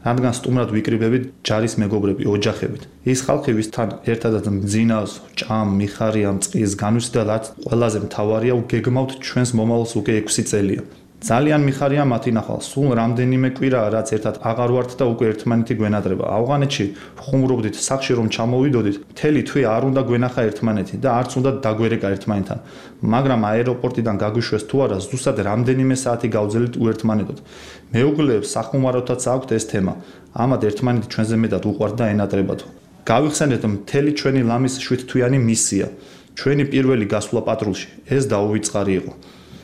რადგან სტუმრად ვიკრიბებით ჯარის მეგობრები, ოჯახებით. ის ხალხი, ვისთან ერთადაც მძინავს, ჭამ, მიხარია, მწყის, განვისდალად, ყველაზე მთავარია, გეგმავთ ჩვენს მომავალს უკვე ექვსი წელია. ძალიან მიხარია მათი ნახვა. სულ რამდენიმე კვირაა, რაც ერთად აღარ ვართ და უკვე ერთმანეთი გვენადრება. ავღანეთში ხუმრობდით სახში რომ ჩამოვიდოდით, მთელი თვე არ უნდა გვენახა ერთმანეთი და არც უნდა დაგვერეკა ერთმანეთთან. მაგრამ აეროპორტიდან გაგვიშვეს თუ არა, ზუსტად რამდენიმე საათი გავძელით უერთმანეთოდ. მეუღლეებს სახუმაროთაც აქვთ ეს თემა. ამათ ერთმანეთი ჩვენზე მეტად უყვართ და ენატრებათ. გავიხსენეთ მთელი ჩვენი ლამის შვიდთვიანი მისია. ჩვენი პირველი გასვლა პატრულში. ეს დაუვიწყარი იყო.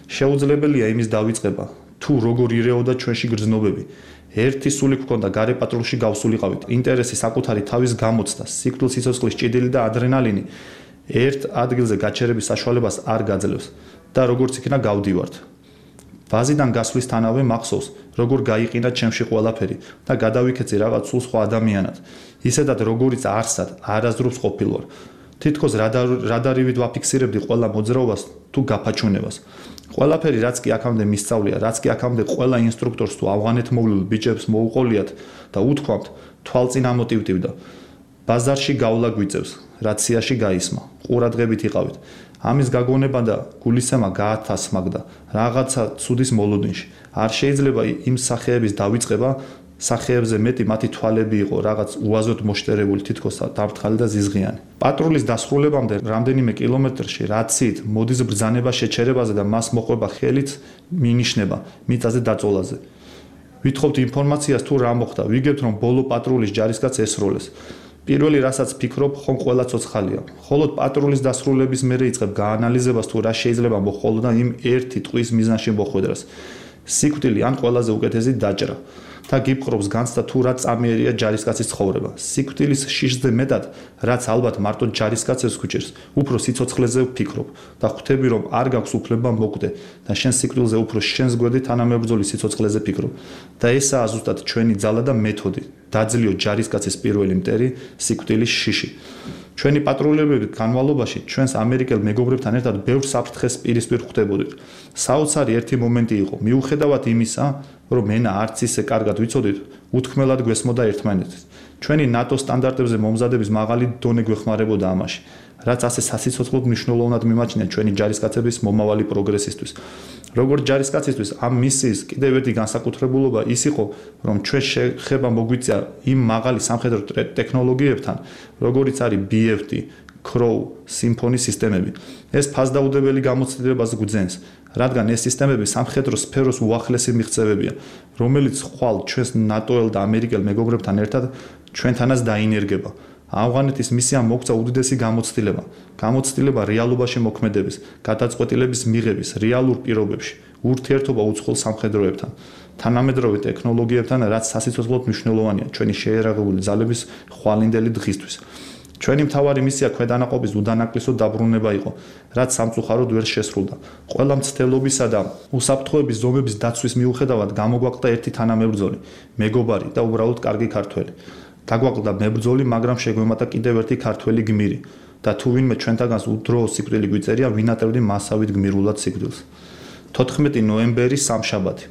შეუძლებელია იმის დავიწყება, თუ როგორ ირეოდა ჩვენში გრძნობები. ერთი სული გვქონდა გარე პატრულში გავსულიყავით. ინტერესი საკუთარი თავის გამოცდა, სიკვდილ სიცოცხლის ჭიდილი და ადრენალინი ერთ ადგილზე გაჩერების საშუალებას არ გაძლევს და როგორც იქნა გავდივართ. ვაზიდან გასვლისთანავე მახსოვს, როგორ გაიყინა ჩემში ყველაფერი და გადავიქეცი რაღაც სულ სხვა ადამიანად. ისედაც როგორიც არსად არასდროს ყოფილვარ. თითქოს რადარივით ვაფიქსირებდი ყველა მოძრაობას თუ გაფაჩუნებას. ყველაფერი რაც კი აქამდე მისწავლია, რაც კი აქამდე ყველა ინსტრუქტორს თუ ავღანეთმოვლილ ბიჭებს მოუყოლიათ და უთქვამთ, თვალწინ ამოტივტივდა. ბაზარში გავლა გვიწევს, რაციაში გაისმა, ყურადღებით იყავით. ამის გაგონება და გულისცემა გაათასმაგდა რაღაცა ცუდის მოლოდინში. არ შეიძლება იმ სახეების დავიწყება, სახეებზე მეტი მათი თვალები იყო რაღაც უაზროდ მოშტერებული, თითქოს დამრთყალი და ზიზღიანი. პატრულის დასრულებამდე რამდენიმე კილომეტრში რაციით მოდის ბრძანება შეჩერებაზე და მას მოყვება ხელით მინიშნება მიწაზე დაწოლაზე. ვითხოვთ ინფორმაციას თუ რა მოხდა, ვიგებთ რომ ბოლო პატრულის ჯარისკაც ესროლეს. პირველი რასაც ფიქრობ, ხომ ყველა ცოცხალია. ხოლო პატრულის დასრულების მერე იწყებ გაანალიზებას თუ რა შეიძლება მოხდოდა იმ ერთი ტყვის მიზანში მოხვედრას. სიკვდილი ან ყველაზე უკეთესი დაჭრა. და გიპყრობს განცდა თუ რა წამიერია ჯარისკაცის ცხოვრება. სიკვდილის შიშზე მეტად, რაც ალბათ მარტო ჯარისკაცებს გვჭირს, უფრო სიცოცხლეზე ვფიქრობ და ხვდები რომ არ გაქვს უფლება მოკვდე და შენ სიკვდილზე უფრო შენს გვერდით თანამებრძოლის სიცოცხლეზე ფიქრობ. და ესაა ზუსტად ჩვენი ძალა და მეთოდი. დაძლიო ჯარისკაცის პირველი მტერი, სიკვდილის შიში. ჩვენი პატრულებების განმავლობაში ჩვენს ამერიკელ მეგობრებთან ერთად ბევრ საფრთხეს პირისპირ ხვდებოდით. საოცარი ერთი მომენტი იყო, მიუხედავად იმისა, რომ ენა არც ისე კარგად ვიცოდით, უთქმელად გვესმოდა ერთმანეთს. ჩვენი ნატო სტანდარტებზე მომზადების მაღალი დონე გვეხმარებოდა ამაში, რაც ასე სასიცოცხლოდ მნიშვნელოვნად მიმაჩნია ჩვენი ჯარისკაცების მომავალი პროგრესისთვის. როგორც ჯარისკაცისთვის ამ მისიის კიდევ ერთი განსაკუთრებულობა ის იყო, რომ ჩვენ შეხება მოგვიწია იმ მაღალი სამხედრო ტექნოლოგიებთან, როგორიც არის ბი ეფ ტი, კროუ, სიმფონი სისტემები. ეს ფასდაუდებელი გამოცდილებას გვძენს, რადგან ეს სისტემები სამხედრო სფეროს უახლესი მიღწევებია, რომელიც ხვალ ჩვენს ნატოელ და ამერიკელ მეგობრებთან ერთად ჩვენთანაც დაინერგება. ავღანეთის მისიამ მოგცა უდიდესი გამოცდილება, გამოცდილება რეალობაში მოქმედების, გადაწყვეტილების მიღების რეალურ პირობებში, ურთიერთობა უცხოელ სამხედროებთან, თანამედროვე ტექნოლოგიებთან, რაც სასიცოცხლოდ მნიშვნელოვანია ჩვენი შეერაღებული ძალების ხვალინდელი დღისთვის. ჩვენი მთავარი მისია ქვედანაყოფის უდანაკლისო დაბრუნება იყო, რაც სამწუხაროდ ვერ შესრულდა. ყველა მცდელობისა და უსაფრთხოების ზომების დაცვის მიუხედავად გამოგვაყდა ერთი თანამებრძოლი, მეგობარი და უბრალოდ კარგი ქართველი. დაგვაყდა მებრძოლი, მაგრამ შეგვემატა კიდევ ერთი ქართველი გმირი და თუ ვინმე ჩვენთაგანს უდროო სიკვდილი გვიწერია, ვინატრებდი მასავით გმირულად სიკვდილს. თოთხმეტი ნოემბერი სამშაბათი.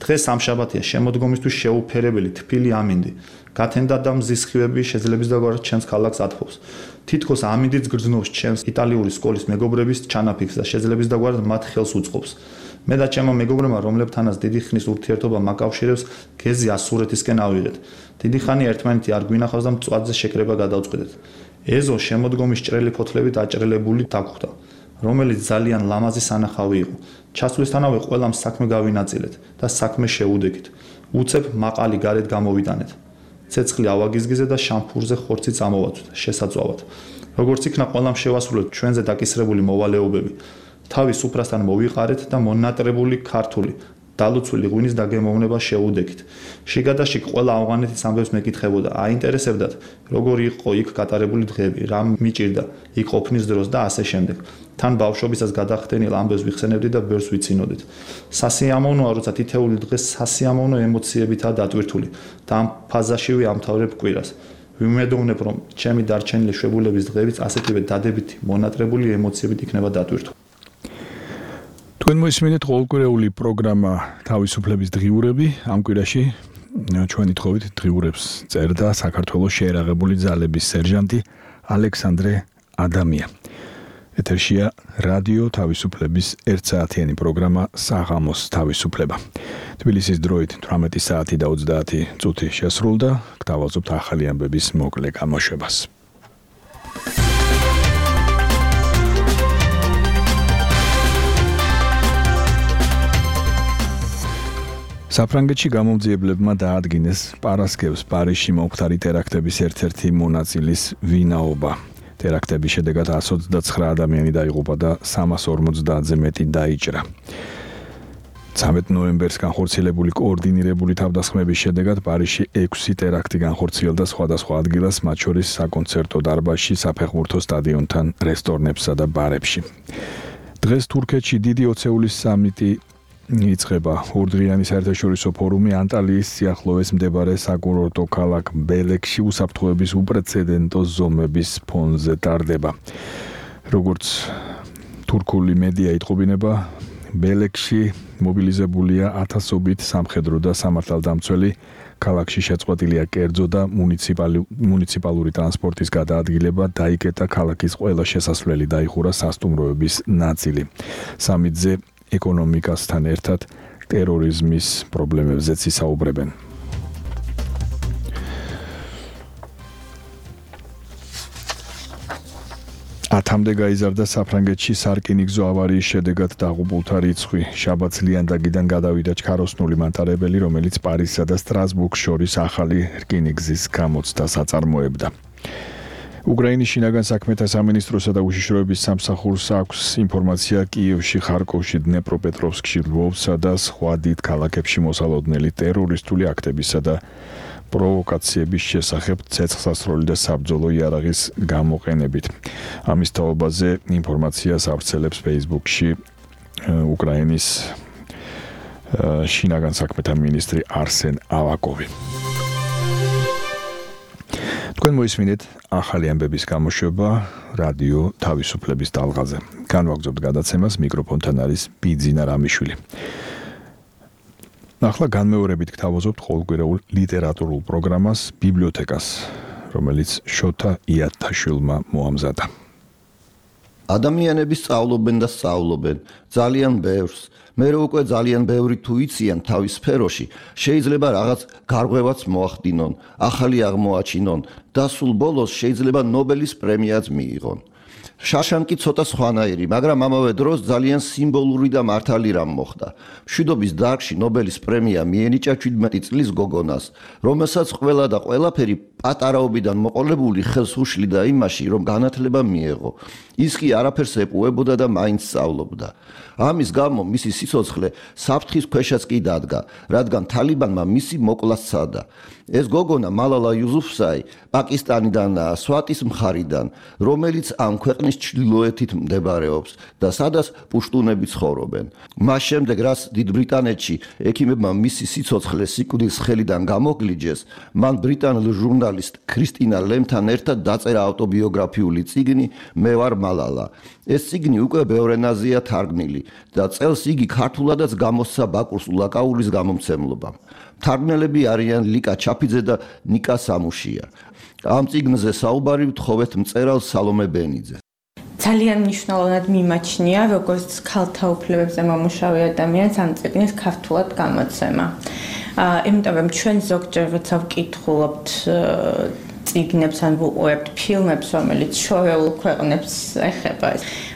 დღეს სამშაბათია, შემოდგომისთვის შეუფერებელი თბილი ამინდი. გათენდა და მზის სხივები შეძლებს და გვარ ჩემს ქალაქს ათფობს. თითქოს ამინდიც გრძნობს ჩემს იტალიური სკოლის მეგობრების ჩანაფიქრს და შეძლებს და გვარ მათ ხელს უწყობს. მე და ჩემო მეგობრებმა, რომლებთანაც დიდი ხნის ურთიერთობა მაკავშირებს, გეზი ასურეთისკენ ავიღეთ. დიდი ხანი ერთმანეთი არ გვინახავს და მწვაძე შეკრება გადავწყვეტეთ. ეზო შემოდგომის ჭრელი ფოთლებით აჭრელებული დაგვხვდა. რომელიც ძალიან ლამაზი სანახავი იყო. ჩასვლისთანავე ყველამ საქმე გავინაწილეთ და საქმე შეუდექით. უცებ მაყალი გარეთ გამოვიტანეთ. ცეცხლი ავაგიზგიზე და შამფურზე ხორცი წამოვაცვით, შესაძლოა. როგორც იქნა ყველამ შევასრულეთ ჩვენზე დაკისრებული მოვალეობები. თავის სუფრასთან მოვიყარეთ და მონატრებული ქართული დალუცული ღვინის დაგემოვნება შეუდექით. შიგადაში ყველა ავღანეთის ამბებს მეკითხებოდა, აინტერესებდათ, როგორი იყო იქ გატარებული დღეები, რა მიჭირდა იქ ყოფნის დროს და ასე შემდეგ. თან ბავშვობისას გადახდენილ ამბებს ვიხსენებდი და ბევრს ვიცინოდით. სასიამოვნოა, როცა თითეული დღე სასიამოვნო ემოციებითაა დატვირთული და ამ ფაზაშივე ამთავრებ კვირას. ვიმედოვნებ, რომ ჩემი დარჩენილი შვებულების დღეებიც ასეთივე დადებითი, მონატრებული ემოციებით იქნება დატვირთული. თქვენ მოისმინეთ ყოველკვირეული პროგრამა თავისუფლების დღიურები. ამ კვირაში ჩვენი თხოვით დღიურებს წერდა საქართველოს შეერაღებული ძალების სერჟანტი ალექსანდრე ადამია. ეთერშია რადიო თავისუფლების ერთსაათიანი პროგრამა საღამოს თავისუფლება. თბილისის დროით თვრამეტი საათი და ოცდაათი წუთი შესრულდა. გთავაზობთ ახალი ამბების მოკლე გამოშვებას. საფრანგეთში გამომძიებლებმა დაადგინეს პარასკევს პარიზში მომხდარი ტერაქტების ერთ-ერთი მონაწილის ვინაობა. ტერაქტების შედეგად εκατს ოცდაცხრა ადამიანი დაიღუპა და სამას ორმოცდაათზე მეტი დაიჭრა. ცამეტ ნოემბერს განხორციელებული კოორდინირებული თავდასხმების შედეგად პარიზში ექვსი ტერაქტი განხორციელდა სხვადასხვა ადგილას, მათ შორის საკონცერტო დარბაზში, საფეხბურთო სტადიონთან, რესტორნებსა და ბარებში. დღეს თურქეთში დიდი ოცეულის სამიტი იწყება. ორდღიანი საერთაშორისო ფორუმი ანტალიის სიახლოვეს მდებარე საკურორტო ქალაქ ბელექში უსაფრთხოების უპრეცედენტო ზომების ფონზე ტარდება. როგორც თურქული მედია იტყობინება, ბელექში მობილიზებულია ათასობით სამხედრო და სამართალდამცველი. ქალაქში შეწყვეტილია კერძო და მუნიციპალური ტრანსპორტის გადაადგილება, დაიკეტა ქალაქის ყველა შესასვლელი, დაიხურა სასტუმროების ნაწილი. სამიტზე ეკონომიკასთან ერთად ტერორიზმის პრობლემებზეც ისაუბრებენ. ათამდე გაიზარდა საფრანგეთში სარკინიგზო ავარიის შედეგად დაღუპულთა რიცხვი. შაბათს ლიანდაგიდან გადავიდა ჩქაროსნული მანქანებელი, რომელიც პარიზსა და სტრასბურგს შორის ახალი რკინიგზის გამოცდას აწარმოებდა. უკრაინის შინაგან საქმეთა სამინისტროსა და უშიშროების სამსახურს აქვს ინფორმაცია კიევში, ხარკოვში, დნეპროპეტროვსკში, ლვოვსა და სხვა დიდ ქალაქებში მოსალოდნელი ტერორისტული აქტებისა და პროვოკაციების შესახებ ცეცხლსასროლი და საბრძოლო იარაღის გამოყენებით. ამის თაობაზე ინფორმაციას ავრცელებს Facebook-ში უკრაინის შინაგან საქმეთა მინისტრი არსენ ავაკოვი. თქვენ მოისმინეთ ახალი ამბების გამოშვება რადიო თავისუფლების ტალღაზე. განვაგრძობთ გადაცემას, მიკროფონთან არის ბიძინა რამიშვილი. ახლა განმეორებით გთავაზობთ ყოველკვირეულ ლიტერატურულ პროგრამას ბიბლიოთეკას, რომელიც შოთა იათაშვილმა მოამზადა. ადამიანები სწავლობენ და სწავლობენ ძალიან ბევრს. მე რო უკვე ძალიან ბევრი თუ იციან თავის სფეროში, შეიძლება რაღაც გარღვევაც მოახდინონ, ახალი აღმოაჩინონ და სულ ბოლოს შეიძლება ნობელის პრემიაც მიიღონ. შაშანკი ცოტა სხვანაირი, მაგრამ ამავე დროს ძალიან სიმბოლური და მართალი რამ მოხდა. მშვიდობის დარგში ნობელის პრემია მიენიჭა შვიდმეტი წლის გოგონას, რომელსაც ყველა და ყველაფერი პატარაობიდან მოყოლებული ხელს უშლიდა იმაში, რომ განათლება მიეღო. ის კი არაფერს ეპუებოდა და მაინც სწავლობდა. ამის გამო მისი სიცოცხლე საფრთხის ქვეშაც კი დადგა, რადგან თალიბანმა მისი მოკლა სცადა. ეს გოგონა მალალა იუსუფზაი პაკისტანიდანაა, სვატის მხარიდან, რომელიც ამ ქვეყნის ჩრდილოეთით მდებარეობს და სადაც პუშტუნები ცხოვრობენ. მას შემდეგ, რაც დიდ ბრიტანეთში ექიმებმა მისი სიცოცხლე სიკვდილის ხელიდან გამოგლიჯეს, მან ბრიტანელ ჟურნალისტ ქრისტინა ლემთან ერთად დაწერა ავტობიოგრაფიული წიგნი მე ვარ მალალა. ეს წიგნი უკვე ბევრ ენაზეა თარგმნილი და წელს იგი ქართულადაც გამოსცა ბაკურს ულაკაურის გამომცემლობამ. თარგმნელები არიან ლიკა ჩაფიძე და ნიკა სამუშია. ამ წიგნზე საუბარი ვთხოვეთ მწერალ სალომე ბენიძეს. ძალიან მნიშვნელოვნად მიმაჩნია, როგორც ქალთა უფლებებზე მომუშავე ადამიანს ამ წიგნის ქართულად გამოცემა. აა, იმიტომ რომ ჩვენ ზოგჯერ როცა ვკითხულობთ წიგნებს ან ვუყურებთ ფილმებს, რომელიც შორეულ ქვეყნებს ეხება.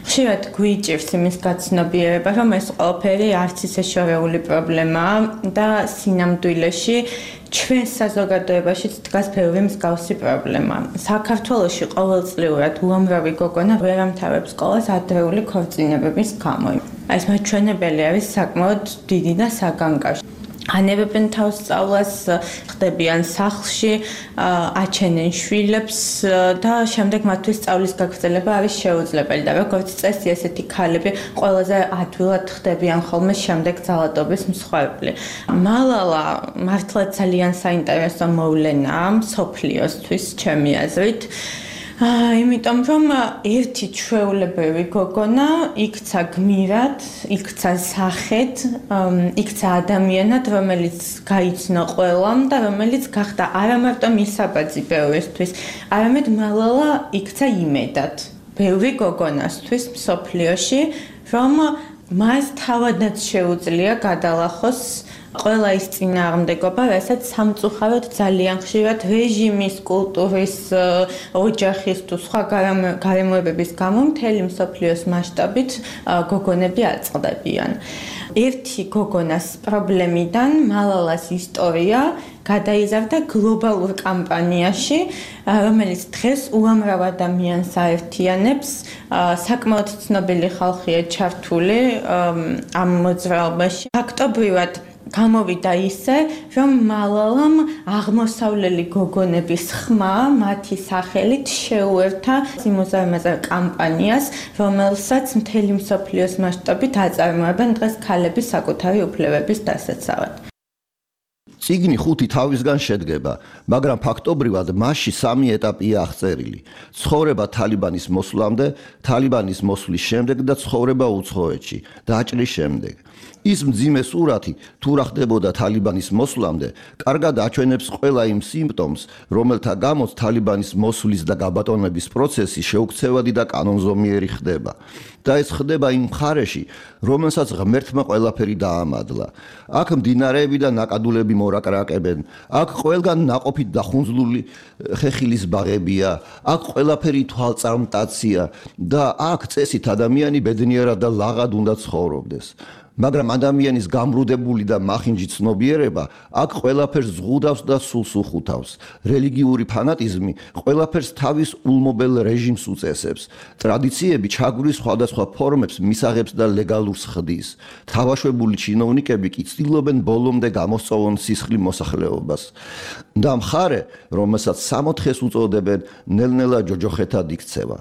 ხშირად გვიჭირს იმის გაცნობიერება, რომ ეს ყველაფერი არც ისე შორეული პრობლემაა და სინამდვილეში ჩვენ საზოგადოებაშიც დგას ბევრი მსგავსი პრობლემა. საქართველოში ყოველწლიურად უამრავი გოგონა ვერ ამთავრებს სკოლას ადრეული ქორწინებების გამო. ეს მაჩვენებელი არის საკმაოდ დიდი და საგანგაშო. ანებებენ თავს სწავლას, ხდებიან სახლში, აჩენენ შვილებს და შემდეგ მათთვის სწავლის გაგრძელება არის შეუძლებელი და როგორც წესი ესეთი ქალები ყველაზე ადვილად ხდებიან ხოლმე შემდეგ ძალადობის მსხვერპლი. მალალა მართლა ძალიან საინტერესო მოვლენაა მსოფლიოსთვის ჩემი აზრით. იმიტომ რომ ერთი ჩვეულებრივი გოგონა იქცა გმირად, იქცა სახედ, იქცა ადამიანად, რომელიც გაიცნო ყველამ და რომელიც გახდა არა მარტო მისაბაძი ბევრისთვის, არამედ მალალა იქცა იმედად ბევრი გოგონასთვის მსოფლიოში, რომ მას თავადაც შეუძლია გადალახოს ყველა ის წინააღმდეგობა, რასაც სამწუხაროდ ძალიან ხშირად რეჟიმის, კულტურის, ოჯახის თუ სხვა გარემოებების გამო მთელი მსოფლიოს მასშტაბით გოგონები აწყდებიან. ერთი გოგონას პრობლემიდან მალალას ისტორია გადაიზარდა გლობალურ კამპანიაში, რომელიც დღეს უამრავ ადამიანს აერთიანებს. საკმაოდ ცნობილი ხალხია ჩართული ამ მოძრაობაში. ფაქტობრივად გამოვიდა ისე, რომ მალალამ აღმოსავლელი გოგონების ხმა მათი სახელით შეუერთა სიმოზარმაზარ კამპანიას, რომელსაც მთელი მსოფლიოს მასშტაბით აწარმოებენ დღეს ქალების საკუთარი უფლებების დასაცავად. წიგნი ხუთი თავისგან შედგება, მაგრამ ფაქტობრივად მასში სამი ეტაპია აღწერილი: ცხოვრება თალიბანის მოსვლამდე, თალიბანის მოსვლის შემდეგ და ცხოვრება უცხოეთში, დაჭრის შემდეგ. ის მძიმე სურათი თუ რა ხდებოდა თალიბანის მოსვლამდე, კარგად აჩვენებს ყველა იმ სიმპტომს, რომელთა გამოც თალიბანის მოსვლის და გაბატონების პროცესი შეუქცევადი და კანონზომიერი ხდება. და ეს ხდება იმ მხარეში, რომელსაც ღმერთმა ყველაფერი დაამადლა. აქ მდინარეები და ნაკადულები მორაკრაკებენ, აქ ყველგან ნაყოფით დახუნძლული ხეხილის ბაღებია, აქ ყველაფერი თვალწარმტაცია და აქ წესით ადამიანი ბედნიერად და ლაღად უნდა ცხოვრობდეს. მაგრამ ადამიანის გამრუდებული და მახინჯი ცნობიერება აქ ყველაფერს ზღუდავს და სულს უხუთავს. რელიგიური ფანატიზმი ყველაფერს თავის ულმობელ რეჟიმს უწესებს. ტრადიციები ჩაგვრის სხვადასხვა ფორმებს მისაღებს და ლეგალურს ხდის. თავაშვებული ჩინოვნიკები კი ცდილობენ ბოლომდე გამოსწოვონ სისხლი მოსახლეობას. და მხარე, რომელსაც სამოთხეს უწოდებენ, ნელ-ნელა ჯოჯოხეთად იქცევა.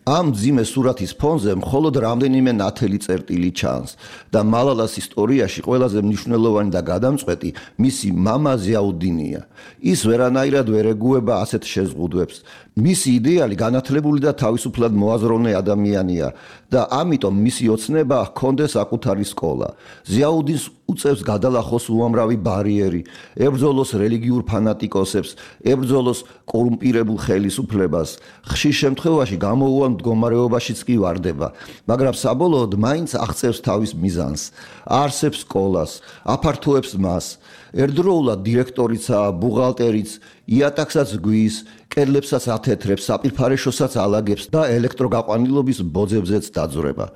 ამ მძიმე სურათის ფონზე მხოლოდ რამდენიმე ნათელი წერტილი ჩანს და მალალას ისტორიაში ყველაზე მნიშვნელოვანი და გადამწყვეტი მისი მამა ზიაუდინია. ის ვერანაირად ვერ ეგუება ასეთ შეზღუდვებს. მისი იდეალი განათლებული და თავისუფლად მოაზროვნე ადამიანია და ამიტომ მისი ოცნება ჰქონდეს საკუთარი სკოლა. ზიაუდინს უწევს გადალახოს უამრავი ბარიერი, ებრძოლოს რელიგიურ ფანატიკოსებს, ებრძოლოს კორუმპირებულ ხელისუფლებას. ხშირ შემთხვევაში გამოუვალ მდგომარეობაშიც კი ვარდება, მაგრამ საბოლოოდ მაინც აღწევს თავის მიზანს. არსებს სკოლას, აფართოებს მას. ერთდროულად დირექტორიცაა, ბუღალტერიც, იატაკსაც გვის, კედლებსაც ათეთრებს, საპირფარეშოსაც ალაგებს და ელექტროგაყვანილობის ბოძებზეც დაძვრება.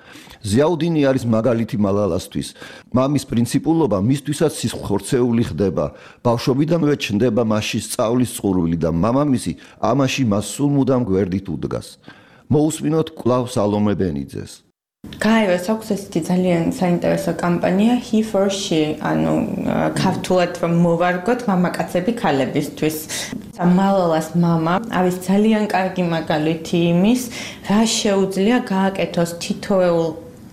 ზიაუდინი არის მაგალითი მალალასთვის. მამის პრინციპულობა მისთვისაც სისხლხორცეული ხდება. ბავშვობიდანვე ჩნდება მასში სწავლის წყურვილი და მამამისი ამაში მას სულ მუდამ გვერდით უდგას. მოусმინოთ კვლავ სალომე ბენიძეს. გაეროს აქვს ესეთი ძალიან საინტერესო კამპანია He for She, ანუ ქართულად რომ მოვარგოთ მამაკაცები ქალებისთვის. მალალას მამა არის ძალიან კარგი მაგალითი იმის, რა შეუძლია გააკეთოს თითოეულ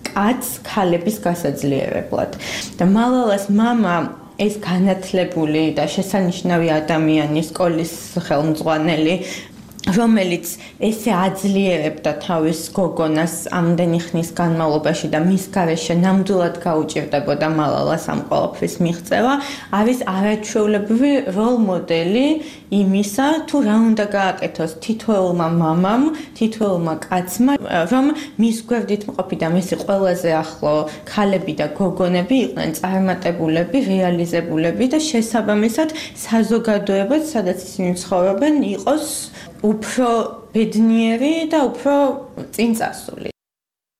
კაცს ქალების გასაძლიერებლად. და მალალას მამა ეს განათლებული და შესანიშნავი ადამიანი, სკოლის ხელმძღვანელი, რომელიც ესე აძლიერებდა თავის გოგონას ამდენი ხნის განმავლობაში და მის გარეშე ნამდვილად გაუჭირდებოდა მალალას ამ ყველაფრის მიღწევა, არის არაჩვეულებრივი როლ მოდელი იმისა, თუ რა უნდა გააკეთოს თითოეულმა მამამ, თითოეულმა კაცმა, რომ მის გვერდით მყოფი და მისი ყველაზე ახლო ქალები და გოგონები იყვნენ წარმატებულები, რეალიზებულები და შესაბამისად საზოგადოებაც, სადაც ისინი ცხოვრობენ, იყოს უფრო ბედნიერი და უფრო წინწასული.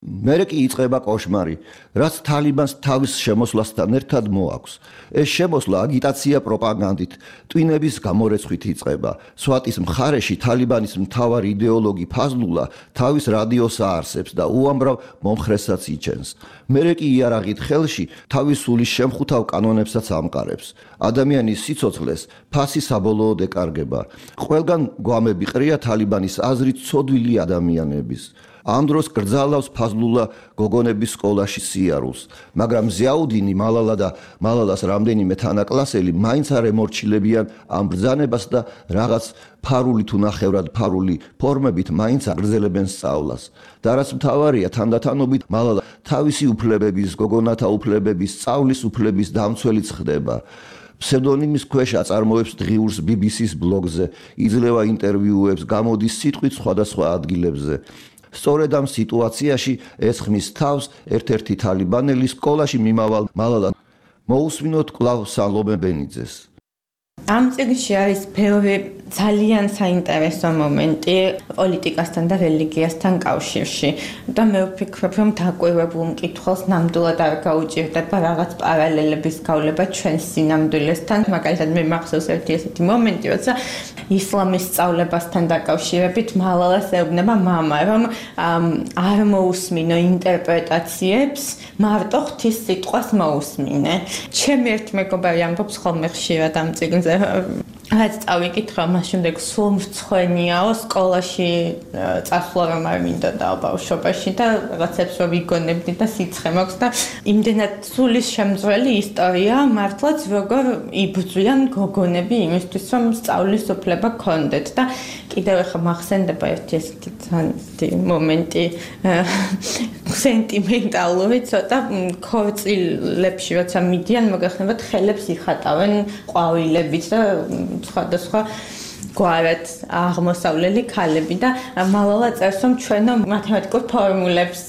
მერე კი იწყება კოშმარი, რაც თალიბანს თავის შემოსვლასთან ერთად მოაქვს. ეს შემოსვლა აგიტაცია პროპაგანდით, ტვინების გამორეცხვით იწყება. სვატის მხარეში თალიბანის მთავარი იდეოლოგი ფაზლულა თავის რადიოს აარსებს და უამრავ მომხრესაც იჩენს. მერე კი იარაღით ხელში თავის სულის შემხუთავ კანონებსაც ამყარებს. ადამიანის სიცოცხლეს ფასი საბოლოოდ ეკარგება. ყველგან გვამები ყრია თალიბანის აზრით ცოდვილი ადამიანების. ამ დროს კრძალავს ფაზლულა გოგონების სკოლაში სიარულს, მაგრამ ზიაუდინი, მალალა და მალალას რამდენიმე თანაკლასელი მაინც არ ემორჩილებიან ამ ბრძანებას და რაღაც ფარული თუ ნახევრად ფარული ფორმებით მაინც აგრძელებენ სწავლას. და რაც მთავარია, თანდათანობით მალალა თავისი უფლებების, გოგონათა უფლებების, სწავლის უფლების დამცველიც ხდება. ფსევდონიმის ქვეშ აწარმოებს დღიურს ბი ბი სის ბლოგზე, იძლევა ინტერვიუებს, გამოდის სიტყვით სხვადასხვა ადგილებზე. სწორედ ამ სიტუაციაში ესხმის თავს ერთ-ერთი თალიბანელი სკოლაში მიმავალ მალალა. მოусმინოთ კვლავ სალომე ბენიძეს. ამ წიგნში არის ბევრი ძალიან საინტერესო მომენტი პოლიტიკასთან და რელიგიასთან კავშირში. და მე ვფიქრობ, რომ დაკვირვებულ მკითხველს ნამდვილად არ გაუჭირდება რაღაც პარალელების გავლება ჩვენს სინამდვილესთან. მაგალითად, მე მახსოვს ერთი ესეთი მომენტი, როცა ისლამის სწავლებასთან დაკავშირებით მალალას ეუბნება მამა, რომ არ მოусმინო ინტერპრეტაციებს, მარტო ღვთის სიტყვას მოусმინე. ჩემი ერთი მეგობარი ამბობს ხოლმე ხშირად ამ წიგნზე, რაც წავიკითხა, მას შემდეგ სულ მრცხვენიაო სკოლაში წასვლა რომ არ მინდოდა ბავშვობაში და რაღაცებს რომ ვიგონებდი და სიცხე მაქვს და იმდენად სულის შემძველი ისტორია მართლაც როგორ იბრძვიან გოგონები იმისთვის რომ სწავლის უფლება ქონდეთ და კიდევ ახლა მახსენდება ერთი ესეთი მომენტი სენტიმენტალური ცოტა ქორწილებში როცა მიდიან მოგეხსენებათ ხელებს იხატავენ ყვავილებით და სხვადასხვა გვარად აღმოსავლელი ქალები და მალალა წერს რომ ჩვენო მათემატიკურ ფორმულებს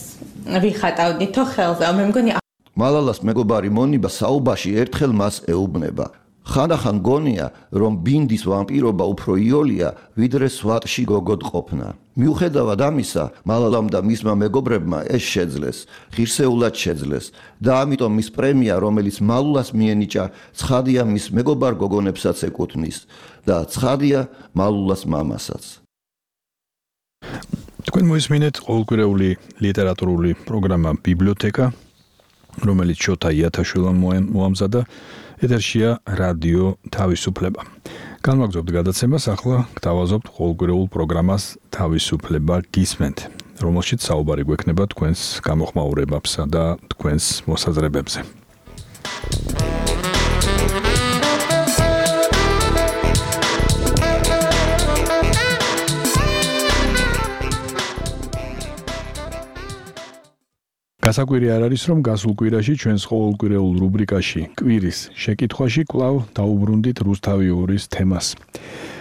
ვიხატავდითო ხელზე. მე მგონი მალალას მეგობარი მონიბა საუბაში ერთხელ მას ეუბნება. ხანდახან გონია რომ ბინდის ვამპირობა უფრო იოლია ვიდრე სვატში გოგოდ ყოფნა. მიუხედავად ამისა, მალალამ და მისმა მეგობრებმა ეს შეძლეს, ღირსეულად შეძლეს და ამიტომ მის პრემია, რომელიც მალულას მიენიჭა, ცხადია მის მეგობარ გოგონებსაც ეკუთვნის და ცხადია მალულას მამასაც. თქვენ მოისმინეთ ყოველკვირეული ლიტერატურული პროგრამა ბიბლიოთეკა, რომელიც შოთა იათაშვილმა მოამზადა. ეთერშია რადიო თავისუფლება. განვაგრძობთ გადაცემას, ახლა გთავაზობთ ყოველკვირეულ პროგრამას თავისუფლება გისმენთ, რომელშიც საუბარი გვექნება თქვენს გამოხმაურებებსა და თქვენს მოსაზრებებზე. გასაკვირი არ არის, რომ გასულ კვირაში ჩვენს ყოველკვირეულ რუბრიკაში კვირის შეკითხვაში კვლავ დაუბრუნდით რუსთავი ორის თემას.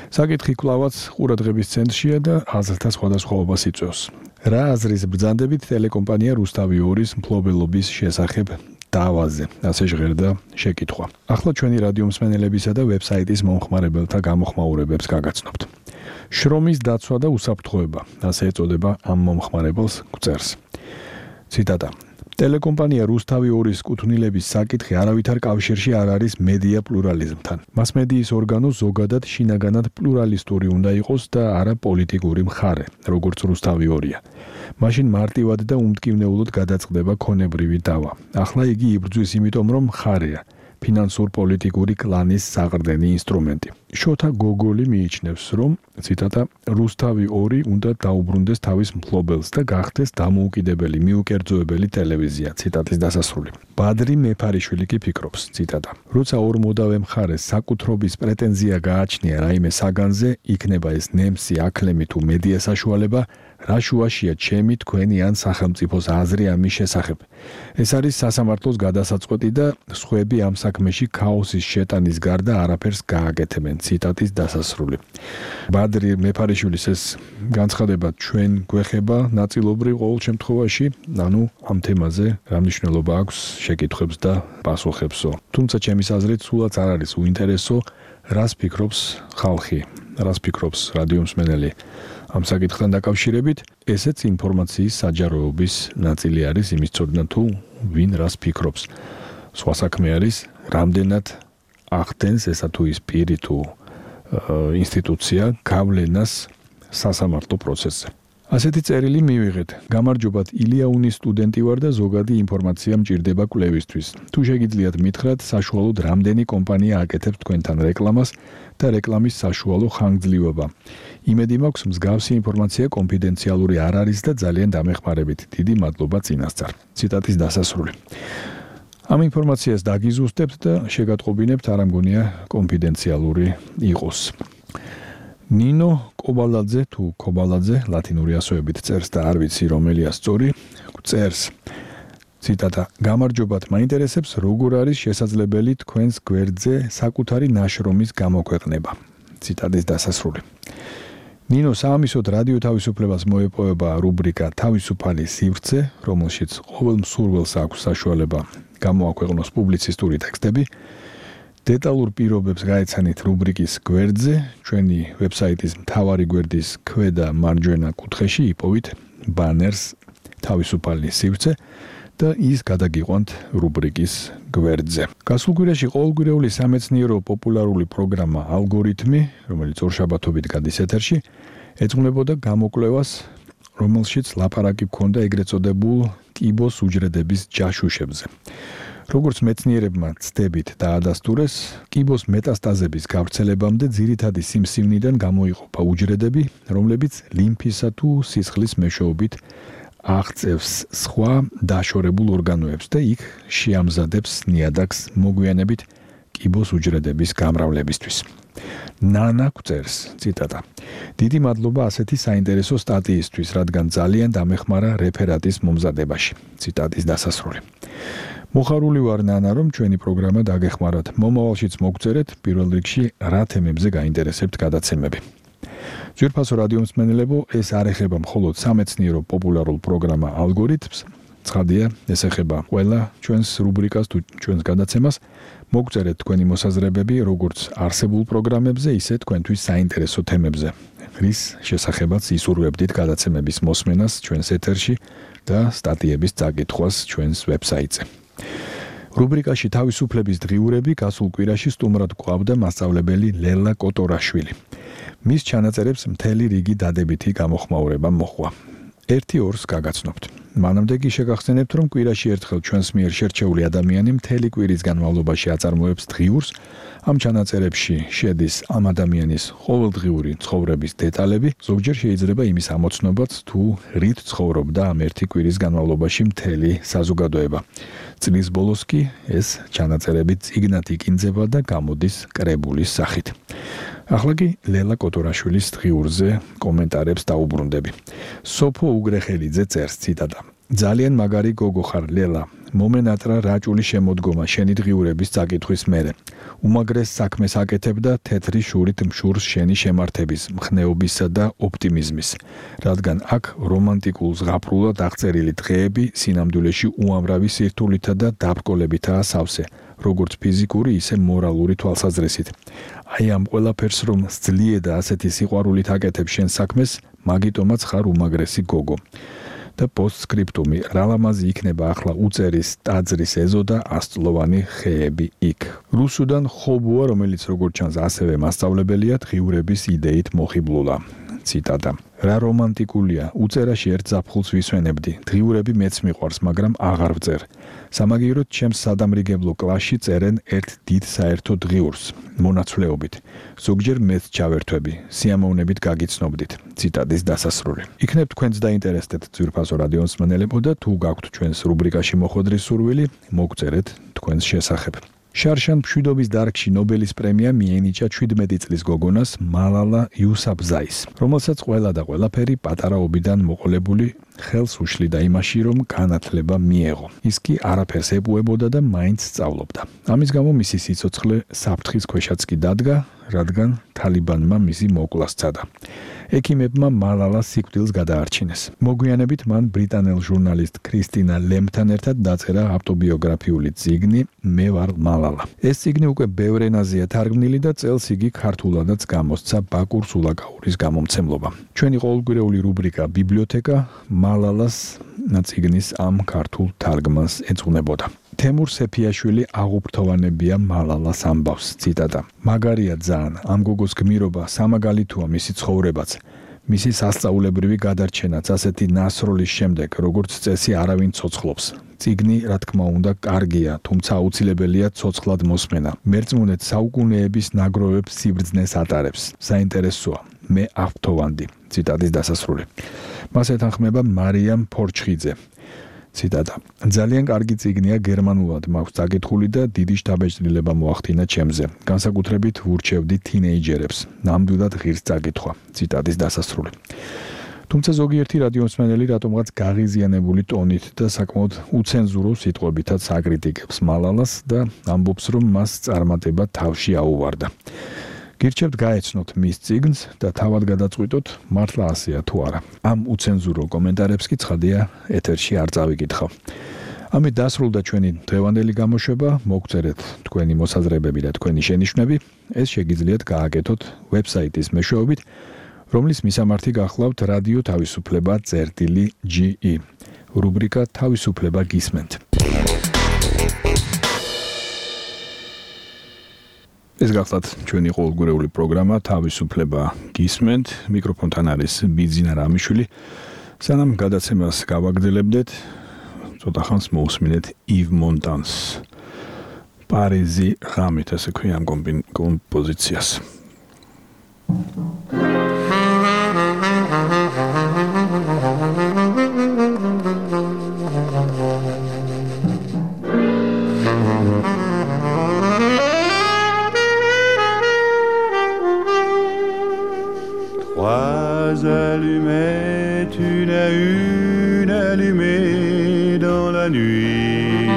საკითხი კვლავაც ყურადღების ცენტრშია და აზრთა სხვადასხვაობას იწვევს. რა აზრის ბრძანდებით ტელეკომპანია რუსთავი ორის მფლობელობის შესახებ დავაზე, ასე ჟღერდა შეკითხვა. ახლა ჩვენი რადიო მსმენელებისა და ვებსაიტის მომხმარებელთა გამოხმაურებებს გაგაცნობთ. შრომის დაცვა და უსაფრთხოება, ასე ეწოდება ამ მომხმარებელს გვწერს. ციტატა. ტელეკომპანია რუსთავი ორის კუთვნილების საკითხი არავითარ კავშირში არ არის მედია პლურალიზმთან. მასმედიის ორგანო ზოგადად შინაგანად პლურალისტური უნდა იყოს და არა პოლიტიკური მხარე, როგორც რუსთავი ორია. მაშინ მარტივად და უმტკივნეულოდ გადაწყდება ქონებრივი დავა. ახლა იგი იბრძვის იმიტომ, რომ მხარეა. ფინანსურ-პოლიტიკური კლანის საყრდენი ინსტრუმენტი. შოთა გოგოლი მიიჩნევს, რომ ციტატა რუსთავი ორი უნდა დაუბრუნდეს თავის მფლობელს და გახდეს დამოუკიდებელი მიუკერძოებელი ტელევიზია. ციტატის დასასრული. ბადრი მეფარიშვილი კი ფიქრობს, ციტატა. როცა ორ მოდავე მხარეს საკუთრობის პრეტენზია გააჩნია რაიმე საგანზე, იქნება ეს ნემსი, აკლემი თუ მედია საშუალება, რა შუაშია ჩემი, თქვენი ან სახელმწიფოს აზრი ამის შესახებ. ეს არის სასამართლოს გადასაწყვეტი და სხვები ამ საქმეში ქაოსის შეტანის გარდა არაფერს გააკეთებენ. ციტატის დასასრული. ბადრი მეფარიშვილის ეს განცხადება ჩვენ გვეხება ნაწილობრივ ყოველ შემთხვევაში, ანუ ამ თემაზე რა მნიშვნელობა აქვს შეკითხვებს და პასუხებსო. თუმცა ჩემის აზრით სულაც არ არის უინტერესო, რას ფიქრობს ხალხი, რას ფიქრობს რადიო მსმენელი ამ საკითხთან დაკავშირებით ესეც ინფორმაციის საჯაროების ნაწილი არის იმის ცოდნა თუ ვინ რას ფიქრობს. სხვა საქმე არის რამდენად ახდენს ესა თუ ის პირი თუ ინსტიტუცია გავლენას სასამართლო პროცესზე. ასეთი წერილი მივიღეთ. გამარჯობათ, ილიაუნის სტუდენტი ვარ და ზოგადი ინფორმაცია მჭირდება კვლევისთვის. თუ შეგიძლიათ მითხრათ, საშუალოდ რამდენი კომპანია აკეთებს თქვენთან რეკლამას და რეკლამის საშუალო ხანგრძლივობა. იმედი მაქვს, მსგავსი ინფორმაცია კონფიდენციალური არ არის და ძალიან დამეხმარებით. დიდი მადლობა წინასწარ. ციტატის დასასრული. ამ ინფორმაციას დაგიზუსტებთ და შეგატყობინებთ, არ ამგონია კონფიდენციალური იყოს. ნინო კობალაძე თუ კობალაძე ლათინური ასოებით წერს და არ ვიცი რომელია სწორი, წერს ციტატა: გამარჯობათ, მაინტერესებს როგორ არის შესაძლებელი თქვენს გვერდზე საკუთარი ნაშრომის გამოქვეყნება. ციტატის დასასრული. ნინო საამისოდ რადიო თავისუფლებას მოეპოვება რუბრიკა თავისუფალი სივრცე, რომელშიც ყოველ მსურველს აქვს საშუალება გამოაქვეყნოს პუბლიცისტური ტექსტები. დეტალურ პირობებს გაეცანით რუბრიკის გვერდზე, ჩვენი ვებსაიტის მთავარი გვერდის ქვედა მარჯვენა კუთხეში იპოვით ბანერს თავისუფალი სივრცე და ის გადაგიყვანთ რუბრიკის გვერდზე. გასულ კვირაში ყოველკვირეული სამეცნიერო პოპულარული პროგრამა ალგორითმი, რომელიც ორშაბათობით გადის ეთერში, ეძღვნებოდა გამოკვლევას, რომელშიც ლაპარაკი ჰქონდა ეგრეთ წოდებულ კიბოს უჯრედების ჯაშუშებზე. როგორც მეცნიერებმა ცდებით დაადასტურეს, კიბოს მეტასტაზების გავრცელებამდე ძირითადი სიმსივნიდან გამოიყოფა უჯრედები, რომლებიც ლიმფისა თუ სისხლის მეშვეობით აღწევს სხვა დაშორებულ ორგანოებს და იქ შეამზადებს ნიადაგს მოგვიანებით კიბოს უჯრედების გამრავლებისთვის. ნანა წერს, ციტატა: დიდი მადლობა ასეთი საინტერესო სტატიისთვის, რადგან ძალიან დამეხმარა რეფერატის მომზადებაში. ციტატის დასასრული. მოხარული ვარ ნანა, რომ ჩვენი პროგრამა დაგეხმარათ. მომავალშიც მოგწერეთ, პირველ რიგში რა თემებზე გაინტერესებთ გადაცემები. ძვირფასო რადიო მსმენელებო, ეს არ ეხება მხოლოდ სამეცნიერო პოპულარულ პროგრამა ალგორითმს, ცხადია, ეს ეხება ყველა ჩვენს რუბრიკას თუ ჩვენს გადაცემას. მოგწერეთ თქვენი მოსაზრებები როგორც არსებულ პროგრამებზე, ისე თქვენთვის საინტერესო თემებზე, რის შესახებაც ისურვებდით გადაცემების მოსმენას ჩვენს ეთერში და სტატიების წაკითხვას ჩვენს ვებსაიტზე. რუბრიკაში თავისუფლების დღიურები გასულ კვირაში სტუმრად გვყავდა მასწავლებელი ლელა კოტორაშვილი. მის ჩანაწერებს მთელი რიგი დადებითი გამოხმაურება მოჰყვა. ერთი ორს გაგაცნობთ. მანამდე კი შეგახსენებთ, რომ კვირაში ერთხელ ჩვენს მიერ შერჩეული ადამიანი მთელი კვირის განმავლობაში აწარმოებს დღიურს. ამ ჩანაწერებში შედის ამ ადამიანის ყოველდღიური ცხოვრების დეტალები, ზოგჯერ შეიძლება იმის ამოცნობაც, თუ რით ცხოვრობდა ამ ერთი კვირის განმავლობაში მთელი საზოგადოება. წლის ბოლოს კი ეს ჩანაწერები წიგნად იკინძება და გამოდის კრებულის სახით. ახლა კი ლელა კოტორაშვილის დღიურზე კომენტარებს დაუბრუნდები. სოფო უგრეხელიძე წერს, ციტატა: ძალიან მაგარი გოგო ხარ ლელა. მომენატრა რაჭული შემოდგომა შენი დღიურების წაკითხვის მერე. უმაგრეს საქმეს აკეთებ და თეთრი შურით მშურს შენი შემართების, მხნეობისა და ოპტიმიზმის. რადგან აქ რომანტიკულ ზღაპრულად აღწერილი დღეები სინამდვილეში უამრავი სირთულითა და დაბრკოლებითაა სავსე, როგორც ფიზიკური, ისე მორალური თვალსაზრისით. აი ამ ყველაფერს რომ სძლიე და ასეთი სიყვარულით აკეთებ შენ საქმეს, მაგიტომაც ხარ უმაგრესი გოგო. და პოსტსკრიპტუმი, რა ლამაზი იქნება ახლა უწერის ტაძრის ეზო და ასწლოვანი ხეები იქ. რუსუდან ხობუა, რომელიც როგორც ჩანს ასევე მასწავლებელია, დღიურების იდეით მოხიბლულა. ციტატა: რა რომანტიკულია, უწერაში ერთ ზაფხულს ვისვენებდი. დღიურები მეც მიყვარს, მაგრამ აღარ ვწერ. სამაგიეროდ ჩემს სადამრიგებლო კლასში წერენ ერთ დიდ საერთო დღიურს, მონაცვლეობით. ზოგჯერ მეც ჩავერთვები, სიამოვნებით გაგიცნობდით. ციტატის დასასრული. იქნებ თქვენც დაინტერესდეთ ძვირფასო რადიო მსმენელებო და თუ გაქვთ ჩვენს რუბრიკაში მოხვედრის სურვილი, მოგწერეთ თქვენს შესახებ. შარშან მშვიდობის დარგში ნობელის პრემია მიენიჭა შვიდმეტი წლის გოგონას მალალა იუსაფზაის, რომელსაც ყველა და ყველაფერი პატარაობიდან მოყოლებული ხელს უშლიდა იმაში, რომ განათლება მიეღო. ის კი არაფერს ეპუებოდა და მაინც სწავლობდა. ამის გამო მისი სიცოცხლე საფრთხის ქვეშაც კი დადგა, რადგან თალიბანმა მისი მოკვლას სცადა. ექიმებმა მალალას სიკვდილს გადაარჩინეს. მოგვიანებით მან ბრიტანელ ჟურნალისტ ქრისტინა ლემთან ერთად დაწერა ავტობიოგრაფიული წიგნი „მე ვარ მალალა“. ეს წიგნი უკვე ბევრ ენაზეა თარგმნილი და წელს იგი ქართულადაც გამოსცა ბაკურ სულაკაურის გამომცემლობამ. ჩვენი ყოველკვირეული რუბრიკა ბიბლიოთეკა მალალას წიგნის ამ ქართულ თარგმანს ეძღვნებოდა. თემურ სეფიაშვილი აღუფრთოვანებია მალალას ამბავს, ციტატა. მაგარია ძალიან, ამ გოგოს გმირობა სამაგალითოა მისი ცხოვრებაც. მისი სასწაულებრივი გადარჩენაც ასეთი ნასროლის შემდეგ, როგორც წესი არავინ ცოცხლობს. წიგნი, რა თქმა უნდა, კარგია, თუმცა აუცილებელია ცოცხლად მოსმენა. მერწმუნეთ საუკუნეების ნაგროვებს სიბრძნეს ატარებს. საინტერესოა, მე აღფრთოვანდი. ციტატის დასასრული. მას ეთანხმება მარიამ ფორჩხიძე. ციტატა. ძალიან კარგი წიგნია გერმანულად მაქვს წაკითხული და დიდი შთაბეჭდილება მოახდინა ჩემზე. განსაკუთრებით ვურჩევდი თინეიჯერებს. ნამდვილად ღირს წაკითხვა. ციტატის დასასრული. თუმცა ზოგიერთი რადიომსმენელი რატომღაც გაღიზიანებული ტონით და საკმაოდ უცენზურო სიტყვებითაც აკრიტიკებს მალალას და ამბობს, რომ მას წარმატება თავში აუვარდა. გირჩევთ გაეცნოთ მის წიგნს და თავად გადაწყვიტოთ, მართლა ასეა თუ არა. ამ უცენზურო კომენტარებს კი ცხადია ეთერში არ წავიკითხავ. ამით დასრულდა ჩვენი დღევანდელი გამოშვება. მოგწერეთ თქვენი მოსაზრებები და თქვენი შენიშვნები. ეს შეგიძლიათ გააკეთოთ ვებსაიტის მეშვეობით, რომლის მისამართი გახლავთ რადიო თავისუფლება წერტილი ჯი ი. რუბრიკა თავისუფლება გისმენთ. ეს გახლავთ ჩვენი ყოველგვარეული პროგრამა თავისუფლება გისმენთ. მიკროფონთან არის ბიძინა რამიშვილი. სანამ გადაცემას გავაგრძელებდეთ, ცოტა ხანს მოусმინეთ ივ მონტანს. პარიზი ღამით, ასე ქვია ამ კომპოზიციას. Trois allumettes, une à une allumées dans la nuit.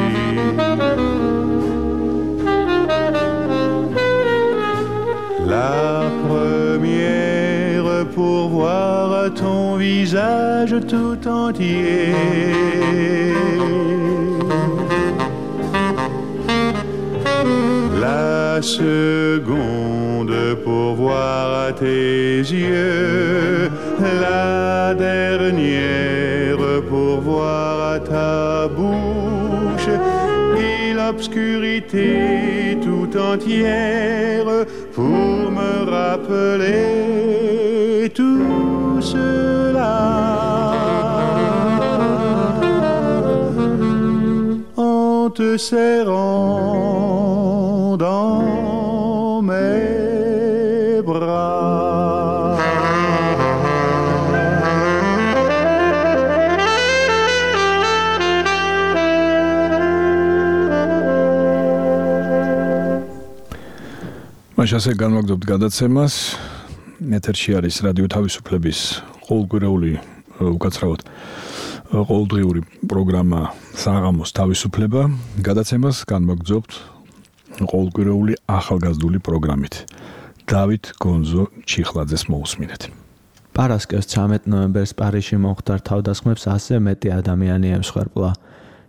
La première pour voir ton visage tout entier. La seconde pour voir tes yeux, la dernière pour voir ta bouche et l'obscurité tout entière pour me rappeler tout cela. En te serrant dans mes bras. მაშასე განვაგრძობთ გადაცემას. ეთერში არის რადიო თავისუფლების ყოველკვირეული, უკაცრავად ყოველდღიური პროგრამა საღამოს თავისუფლება. გადაცემას განვაგრძობთ ყოველკვირეული ახალგაზრდული პროგრამით. დავით გონზო ჩიხლაძეს მოусმინეთ. პარასკევს ცამეტ ნოემბერს პარიზში მომხდარ თავდასხმებს ასზე მეტი ადამიანი ემსხვერპლა.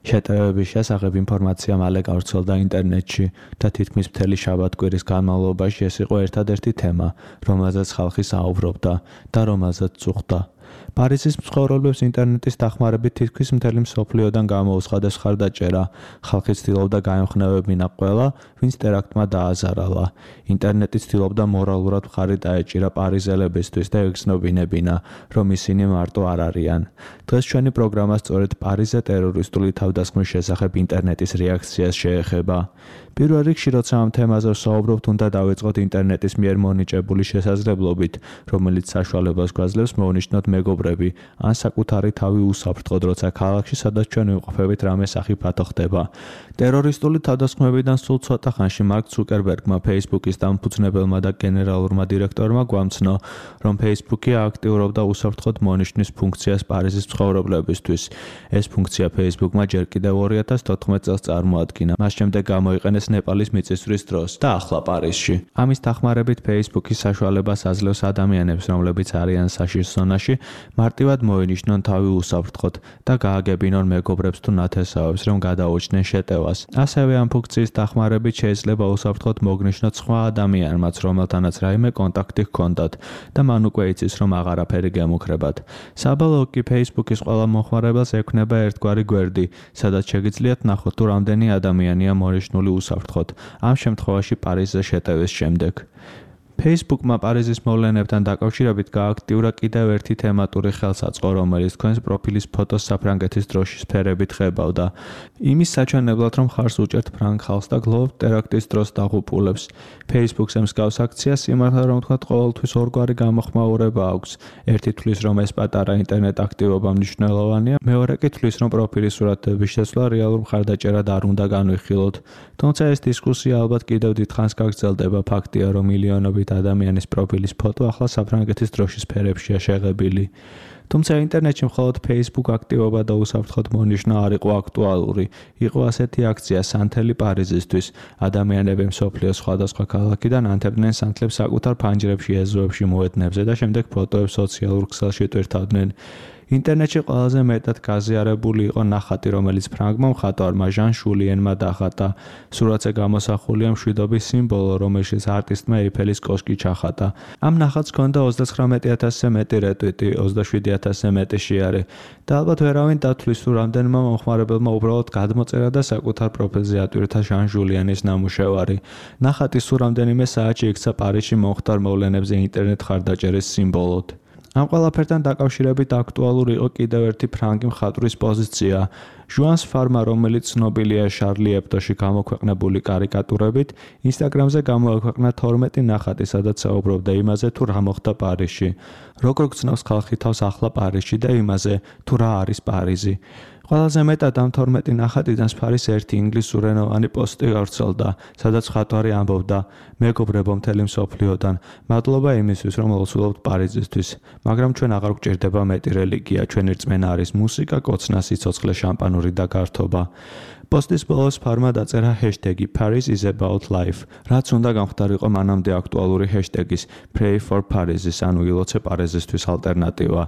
შეტევების შესახებ ინფორმაცია მალე გავრცელდა ინტერნეტში და თითქმის მთელი შაბათ-კვირის განმავლობაში ეს იყო ერთადერთი თემა, რომელზეც ხალხი საუბრობდა და რომელზეც წუხდა. პარიზის მცხოვრებლებს ინტერნეტის დახმარებით თითქმის მთელი მსოფლიოდან გამოუცხადეს მხარდაჭერა. ხალხი ცდილობდა გაემხნევებინა ყველა, ვინც ტერაქტმა დააზარალა. ინტერნეტი ცდილობდა მორალურად მხარი დაეჭირა პარიზელებისთვის და ეგრძნობინებინა, რომ ისინი მარტო არ არიან. დღეს ჩვენი პროგრამა სწორედ პარიზზე ტერორისტული თავდასხმის შესახებ ინტერნეტის რეაქციას შეეხება. პირველ რიგში, როცა ამ თემაზე ვსაუბრობთ, უნდა დავიწყოთ ინტერნეტის მიერ მონიჭებული შესაძლებლობით, რომელიც საშუალებას გვაძლევს მოვნიშნოთ მეგობრად მეგობრები, ან საკუთარი თავი უსაფრთხოდ, როცა ქალაქში, სადაც ჩვენ ვიმყოფებით, რამე სახი ფათო ხდება. ტერორისტული თავდასხმებიდან სულ ცოტა ხანში მარკ ცუკერბერგმა, Facebook-ის დამფუძნებელმა და გენერალურმა დირექტორმა გვამცნო, რომ Facebook-ი აქტიურობდა უსაფრთხოდ მონიშნის ფუნქციას პარიზის მცხოვრებლებისთვის. ეს ფუნქცია Facebook-მა ჯერ კიდევ ორი ათას თოთხმეტ წელს წარმოადგინა. მას შემდეგ გამოიყენეს ნეპალის მიწისძვრის დროს და ახლა პარიზში. ამის დახმარებით Facebook-ის საშუალებას აძლევს ადამიანებს, რომლებიც არიან საშიშ ზონაში, მარტივად მოენიშნონ თავი უსაფრთხოდ და გააგებინონ მეგობრებს თუ ნათესავებს, რომ გადაუჩნდნენ შეტევას. ასევე ამ ფუნქციის დახმარებით შეიძლება უსაფრთხოდ მოგნიშნოთ სხვა ადამიანმაც, რომელთანაც რაიმე კონტაქტი ჰქონდათ და მან უკვე იცის, რომ აღარაფერი გემუქრებათ. საბოლოოდ კი Facebook-ის ყველა მომხმარებელს ექვნება ერთგვარი გვერდი, სადაც შეგიძლიათ ნახოთ თუ რამდენი ადამიანია მონიშნული უსაფრთხოდ, ამ შემთხვევაში პარიზზე შეტევის შემდეგ. Facebook-მა პარიზის მოვლენებთან დაკავშირებით გააქტიურა კიდევ ერთი თემატური ხელსაწყო, რომელიც თქვენს პროფილის ფოტოს საფრანგეთის დროშის ფერებით ხებავდა. იმის საჩვენებლად, რომ ხარს უჭერთ ფრანგ ხალხს და გლოვობთ ტერაქტის დროს დაღუპულებს. Facebook-ს მსგავს აქციას სიმართლე რომ ვთქვათ, ყოველთვის ორგვარი გამოხმაურება აქვს. ერთი თვლის, რომ ეს პატარა ინტერნეტ აქტივობა მნიშვნელოვანია, მეორე კი თვლის, რომ პროფილის სურათების შეცვლა რეალურ მხარდაჭერად არ უნდა განვიხილოთ. თუმცა ეს დისკუსია ალბათ კიდევ დიდხანს გაგრძელდება. ფაქტია, რომ მილიონობით ადამიანის პროფილის ფოტო ახლა საფრანგეთის დროშის ფერებშია შეღებილი. თუმცა ინტერნეტში მხოლოდ Facebook აქტივობა და უსაფრთხოდ მონიშნა არ იყო აქტუალური. იყო ასეთი აქცია სანთელი პარიზისთვის. ადამიანები მსოფლიოს სხვადასხვა ქალაქიდან ანთებდნენ სანთლებს საკუთარ ფანჯრებში, ეზოებში, მოედნებზე და შემდეგ ფოტოებს სოციალურ ქსელში ტვირთავდნენ. ინტერნეტში ყველაზე მეტად გაზიარებული იყო ნახატი, რომელიც ფრანგმა მხატვარმა ჟან შულიენმა დახატა. სურათზე გამოსახულია მშვიდობის სიმბოლო, რომელშიც არტისტმა ეიფელის კოშკი ჩახატა. ამ ნახატს ჰქონდა ოცდათხრამეტი ათასზე მეტი რეტვიტი, ოცდაშვიდი ათასზე მეტი შეარე და ალბათ ვერავინ დათვლის თუ რამდენმა მომხმარებელმა უბრალოდ გადმოწერა და საკუთარ პროფილზე ატვირთა ჟან შულიანის ნამუშევარი. ნახატი სულ რამდენიმე საათში იქცა პარიზში მომხდარ მოვლენებზე ინტერნეტ ხარდაჭერის სიმბოლოდ. ამ ყველაფერთან დაკავშირებით აქტუალური იყო კიდევ ერთი ფრანგი მხატვრის პოზიცია. ჟუანს ფარმა, რომელიც ცნობილია შარლი ებდოში გამოქვეყნებული კარიკატურებით, ინსტაგრამზე გამოაქვეყნა თორმეტი ნახატი, სადაც საუბრობდა იმაზე, თუ რა მოხდა პარიზში. როგორ გწნობს ხალხი თავს ახლა პარიზში და იმაზე, თუ რა არის პარიზი. ყველაზე მეტად ამ თორმეტი ნახატიდან სფარის ერთი ინგლისურენოვანი პოსტი გავრცელდა, სადაც მხატვარი ამბობდა: მეგობრებო მთელი მსოფლიოდან, მადლობა იმისთვის, რომ ლოცულობთ პარიზისთვის, მაგრამ ჩვენ აღარ გვჭირდება მეტი რელიგია, ჩვენი რწმენა არის მუსიკა, კოცნა, სიცოცხლე, შამპანური და გართობა. პოსტის ბოლოს ფარმა დაწერა ჰეშტეგი Paris is about life, რაც უნდა გამხდარიყო მანამდე აქტუალური ჰეშტეგის Pray for Paris-ის, ანუ ილოცე პარიზისთვის ალტერნატივა.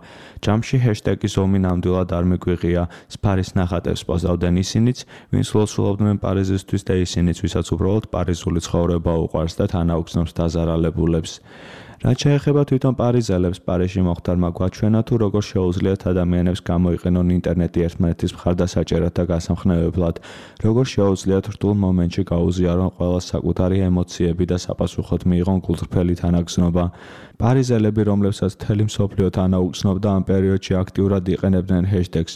ჯამში ჰეშტეგის ომი ნამდვილად არ მიგვიღია, სფარის ნახატებს პოზავდნენ ისინიც, ვინც ლოცულობდნენ პარიზისთვის და ისინიც, ვისაც უბრალოდ პარიზული ცხოვრება უყვარს და თან აუგზნობს დაზარალებულებს. რაც შეეხება თვითონ პარიზელებს, პარიზში მოხდარმა გვაჩვენა თუ როგორ შეუძლიათ ადამიანებს გამოიყენონ ინტერნეტი ერთმანეთის მხარდასაჭერად და გასამხნევებლად, როგორ შეუძლიათ რთულ მომენტში გაუზიარონ ყველას საკუთარი ემოციები და საპასუხოდ მიიღონ გულწრფელი თანაგზნობა. პარიზელები, რომლებსაც მთელი მსოფლიო თანაუგზნობდა, ამ პერიოდში აქტიურად იყენებდნენ ჰეშტეგს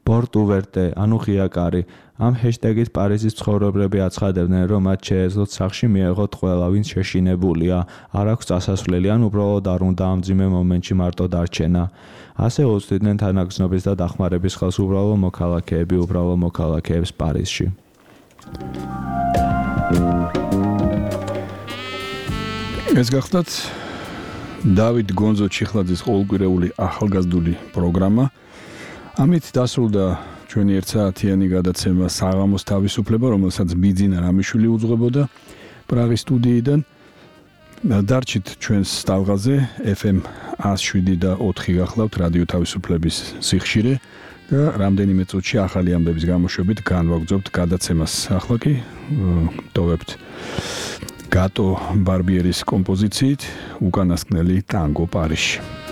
Port ouverte, ანუ ღიაკარი. ამ ჰეშტეგით პარიზის ცხოვრებლები აცხადებდნენ, რომ მათ შეეძლოთ სახში მიეღოთ ყველა, ვინც შეშინებულია, არ აქვს წასასვლელი, ან უბრალოდ არ უნდა ამ მძიმე მომენტში მარტო დარჩენა. ასე უწვდიდნენ თანაგზნობის და დახმარების ხელს უბრალო მოქალაქეები, უბრალო მოქალაქეებს პარიზში. ეს გახლავთ დავით გონზო ჩიხლაძის ყოველკვირეული ახალგაზრდული პროგრამა. ამით დასრულდა ჩვენი ერთსაათიანი გადაცემა საღამოს თავისუფლება, რომელსაც ბიძინა რამიშვილი უძღვებოდა პრაღის სტუდიიდან. დარჩით ჩვენს სტალღაზე ეფ ემ ათას შვიდი და ოთხი გახლავთ რადიო თავისუფლების სიხშირე და რამდენიმე წუთში ახალი ამბების გამოშვებით განვაგრძობთ გადაცემას. ახლა კი ტოვებთ გატო ბარბიერის კომპოზიციით უკანასკნელი ტანგო პარიზში.